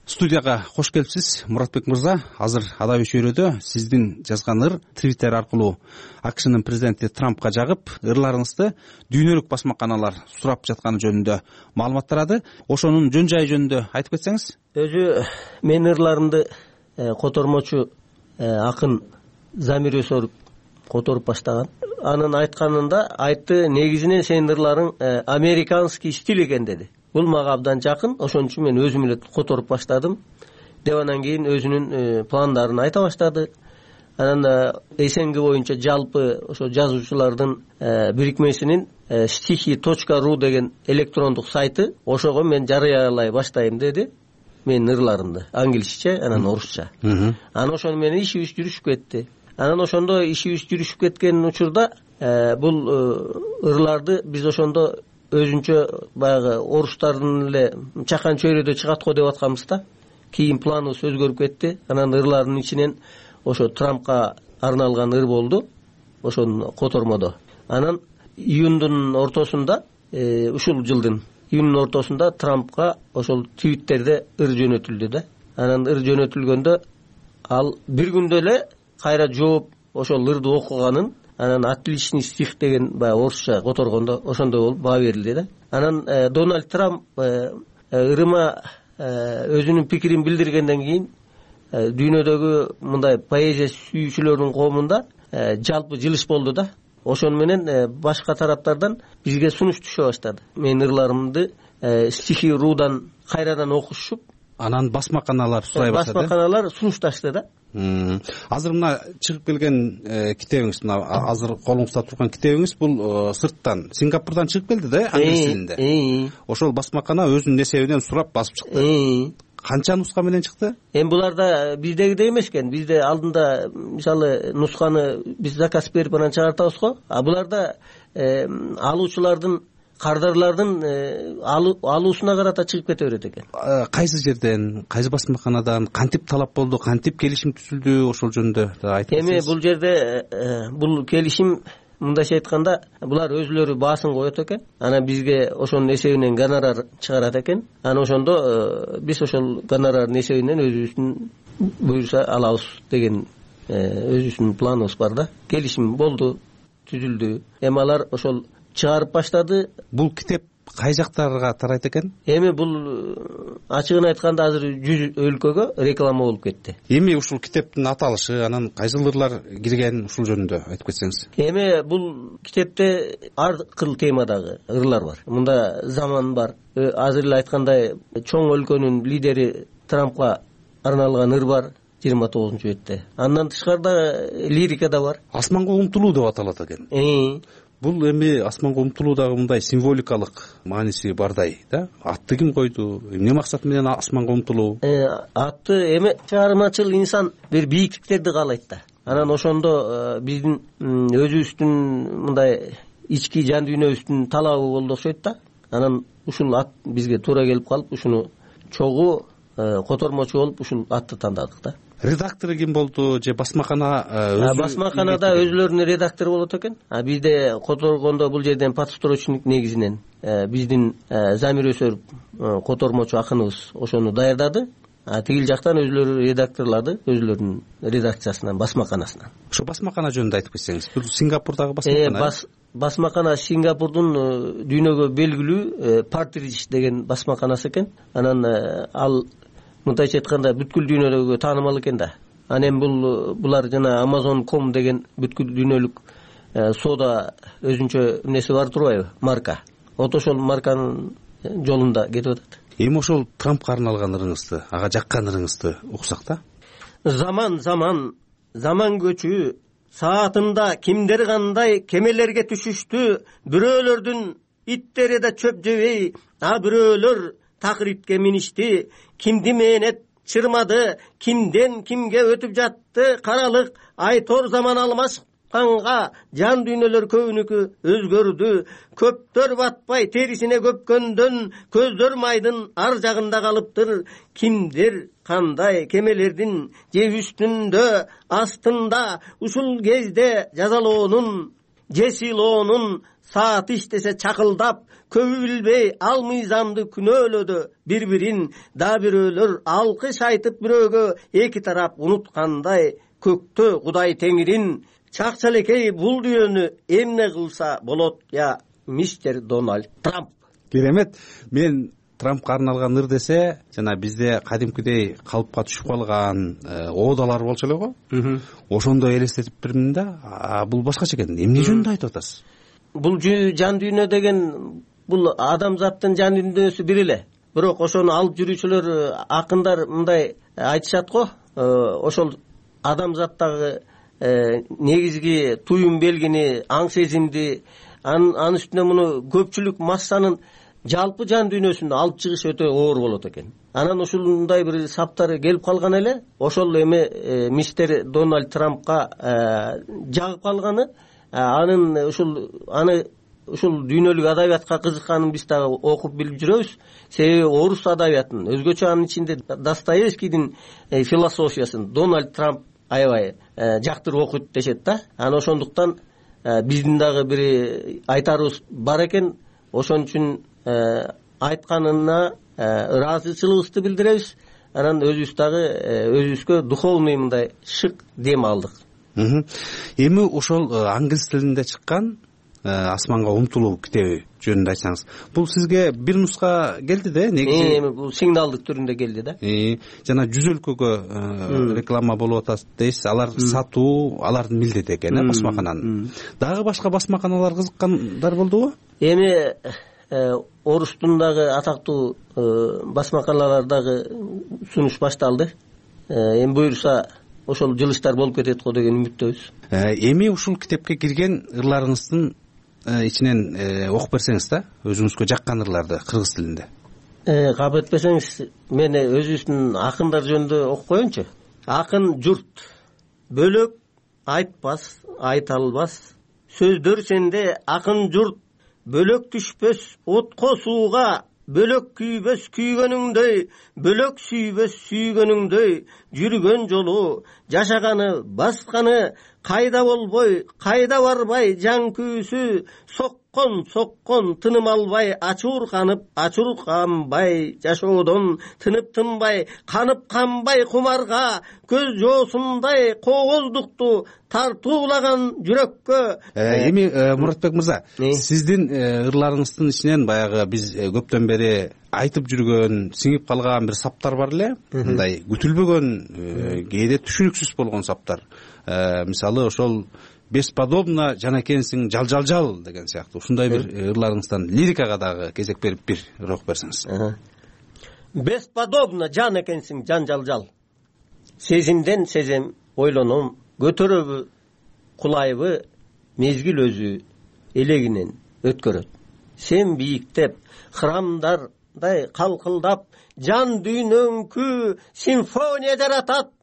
Студияга кош келипсиз, Муратбек мырза. Азыр Адабий чөйрөдө сиздин жазган ыр Твиттер аркылуу АКШнын президенти Трампка жагып, ырларыңызды дүйнөлүк басмаканалар сурап жатканы жөнүндө маалымат тарады. Ошонун жөн жайы жөнүндө айтып кетсеңиз. Өзү менин ырларымды котормочу акын Замир Өсөров которуп баштаган. Анын айтканында айтты, негизинен сенин ырларың американский стиль экен деди. Бул мага абдан жакын, ошон үчүн мен өзүм эле которуп баштадым. Деп анан кийин өзүнүн пландарын айта баштады. Анан эсенги боюнча жалпы ошо жазуучулардын бирикмесинин стихи точка ру деген электрондук сайты, ошого мен жарыялай баштайм деди. Менин ырларымды англисче, анан орусча. Анан ошону менен ишибиз жүрүшүп кетти. Анан ошондо ишибиз жүрүшүп кеткен учурда бул ырларды биз ошондо өзүнчө баягы орустардын эле чакан чөйрөдө чыгат го деп атканбыз да. Кийин планыбыз өзгөрүп кетти. Анан ырлардын ичинен ошо Трампка арналган ыр болду. Ошону котормодо. Анан июндун ортосунда, ушул жылдын июндун ортосунда Трампка ошол Твиттерде ыр жөнөтүлдү да. Анан ыр жөнөтүлгөндө ал бир күндө эле кайра жооп ошол ырды окуганын, анан отличный стих деген баягы орусча которгондо ошондой болуп баа берилди да. Анан Дональд Трамп ырыма өзүнүн пикирин билдиргенден кийин дүйнөдөгү мындай поэзия сүйүүчүлөрдүн коомунда жалпы жылыш болду да. Ошону менен башка тараптардан бизге сунуш түшө баштады. Менин ырларымды стихи рудан кайрадан окушуп, анан басмаканалар сурай баштады. Басмаканалар сунушташты да. Азыр мына чыгып келген китебиңиз, мына азыр колуңузда турган китебиңиз бул сырттан, Сингапурдан чыгып келди да, англис тилинде. Ошол басмакана өзүнүн эсебинен сурап басып чыкты. Канча нуска менен чыкты? Эми буларда биздегидей эмес экен. Бизде алдында мисалы нусканы биз заказ берип анан чыгартабыз го. А буларда алуучулардын кардарлардын алуусуна карата чыгып кете берет экен. Кайсы жерден, кайсы басмаканадан кантип талап болду, кантип келишим түзүлдү, ошол жөнүндө айтып берсеңиз. Эми бул жерде бул келишим мындайча айтканда булар өзүлөрү баасын коет экен. Анан бизге ошонун эсебинен гонорар чыгарат экен. Анан ошондо биз ошол гонорардын эсебинен өзүбүздүн буюрса алабыз деген өзүбүздүн планыбыз бар да. Келишим болду, түзүлдү. Эми алар ошол чыгарып баштады. Бул китеп кай жактарга тарайт экен? Эми бул ачыгын айтканда азыр жүз өлкөгө реклама болуп кетти. Эми ушул китептин аталышы, анан кайсы ырлар кирген, ушул жөнүндө айтып кетсеңиз. Эми бул китепте ар кыл темадагы ырлар бар. Мында заман бар. Азыр эле айткандай чоң өлкөнүн лидери Трампка арналган ыр бар жыйырма тогузунчу бетте. Андан тышкарда лирика да бар. Асманга умтулуу деп аталат экен. Бул эми асманга умтулуудагы мындай символикалык мааниси бардай да. Атты ким койду? Эмне максат менен асманга умтулуу? Атты эми чыгармачыл инсан бир бийиктиктерди каалайт да. Анан ошондо биздин өзүбүздүн мындай ички жан дүйнөбүздүн талабы болду окшойт да. Анан ушул ат бизге туура келип калып, ушуну чогуу котормочу болуп ушул атты тандадык да. Редактору ким болду же басмакана өзү? Басмаканада өзүлөрүнүн редактору болот экен. А бизде которгондо бул жерден подстрочник негизинен биздин Замир Өсөров котормочу акыныбыз ошону даярдады. А тигил жактан өзүлөрү редакторлорду өзүлөрүнүн редакциясынан, басмаканасынан. Ошо басмакана жөнүндө айтып кетсеңиз. Бул Сингапурдагы басмакана. Басмакана Сингапурдун дүйнөгө белгилүү Партридж деген басмаканасы экен. Анан ал мындайча айтканда бүткүл дүйнөлүккө таанымал экен да. Анан бул булар жана Amazon точка ком деген бүткүл дүйнөлүк соода өзүнчө эмнеси бар турбайбы? Марка. Вот ошол марканын жолунда кетип атат. Эми ошол Трампка арналган ырыңызды, ага жаккан ырыңызды уксак да. Заман заман, заман көчү, саатында кимдер кандай кемелерге түшүштү, бирөөлөрдүн иттери да чөп жебей, а бирөөлөр такыр итке миништи, кимди мээнет чырмады, кимден кимге өтүп жатты каралык, айтор заман алмашканга жан дүйнөлөр көбүнүкү өзгөрдү, көптөр батпай терисине көпкөндөн, көздөр майдын ар жагында калыптыр, кимдер кандай кемелердин же үстүндө астында, ушул кезде жазалоонун же сыйлоонун саат иштесе чакылдап, көбү билбей ал мыйзамды күнөөлөдү бири-бирин, да бирөөлөр алкыш айтып бирөөгө эки тарап унуткандай, көктө Кудай Теңирин, чакчалекей бул дүйнөнү эмне кылса болот я мистер Дональд Трамп. Керемет. Мен Трампка арналган ыр десе, жана бизде кадимкидей калыпка түшүп калган оодалар болчу эле го. Ошондой элестетип бермин да. Бул башкача экен. Эмне жөнүндө айтып атасыз? Бул жан дүйнө деген бул адамзаттын жан дүйнөсү бир эле. Бирок ошону алып жүрүүчүлөр, акындар мындай айтышат го. Ошол адамзаттагы негизги туюм белгини, аң сезимди, анын үстүнө муну көпчүлүк массанын жалпы жан дүйнөсүн алып чыгыш өтө оор болот экен. Анан ушундай бир саптары келип калган эле. Ошол эми мистер Дональд Трампка жагып калганы, анын ушул аны ушул дүйнөлүк адабиятка кызыкканын биз дагы окуп билип жүрөбүз. Себеби орус адабиятын, өзгөчө анын ичинде Достоевскийдин философиясын Дональд Трамп аябай жактырып окуйт дешет да. Анан ошондуктан биздин дагы бир айтарыбыз бар экен. Ошон үчүн айтканына ыраазычылыгыбызды билдиребиз. Анан өзүбүз дагы өзүбүзгө духовный мындай шык дем алдык. Эми ошол англис тилинде чыккан Асманга умтулуу китеби жөнүндө айтсаңыз. Бул сизге бир нуска келди да, негизи? Эми бул сигналдык түрүндө келди да. Жана жүз өлкөгө реклама болуп атат дейсиз. Алар сатуу, алардын милдети экен, басмакананын. Дагы башка басмаканалар кызыккандар болдубу? Эми орустун дагы атактуу басмаканалар дагы сунуш башталды. Эми буюрса ошол жылыштар болуп кетет го деген үмүттөбүз. Эми ушул китепке кирген ырларыңыздын ичинен окуп берсеңиз да, өзүңүзгө жаккан ырларды кыргыз тилинде. Кабыл этпесеңиз, мен өзүбүздүн акындар жөнүндө окуп коеюнчу. Акын журт бөлөк айтпас, айта албас. Сөздөр сенде акын журт бөлөк түшпөс отко сууга, бөлөк күйбөс күйгөнүңдөй, бөлөк сүйбөс сүйгөнүңдөй, жүргөн жолу, жашаганы, басканы, кайда болбой, кайда барбай жан күйүүсү, соккон соккон тыным албай, ачуурканып, ачуурканбай, жашоодон тынып тынбай, канып канбай кумарга, көз жоосундай кооздукту тартуулаган жүрөккө. Эми Муратбек мырза, сиздин ырларыңыздын ичинен баягы биз көптөн бери айтып жүргөн, сиңип калган бир саптар бар эле, мындай күтүлбөгөн, кээде түшүнүксүз болгон саптар. Мисалы ошол бесподобно жан экенсиң, жал жал жал деген сыяктуу ушундай бир ырларыңыздан лирикага дагы кезек берип бир ыр окуп берсеңиз. Бесподобно жан экенсиң, жан жал жал. Сезимден сезем, ойлоном, көтөрөбү, кулайбы, мезгил өзү элегинен өткөрөт. Сен бийиктеп, храмдардай калкылдап, жан дүйнөңкү симфония жаратат.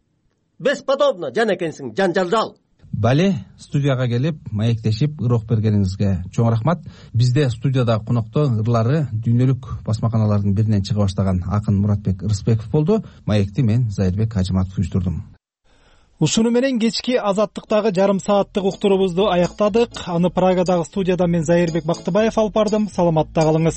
Бесподобно жан экенсиң, жан жал жал. Бале, студияга келип, маектешип, ыр окуп бергениңизге чоң рахмат. Бизде студияда конокто ырлары дүйнөлүк басмаканалардын биринен чыга баштаган акын Муратбек Рыспеков болду. Маекти мен Зайырбек Ажыматов уюштурдум. Ушуну менен кечки Азаттыктагы жарым сааттык уктуруубузду аяктадык. Аны Прагадагы студияда мен Зайырбек Бактыбаев алып бардым. Саламатта калыңыз.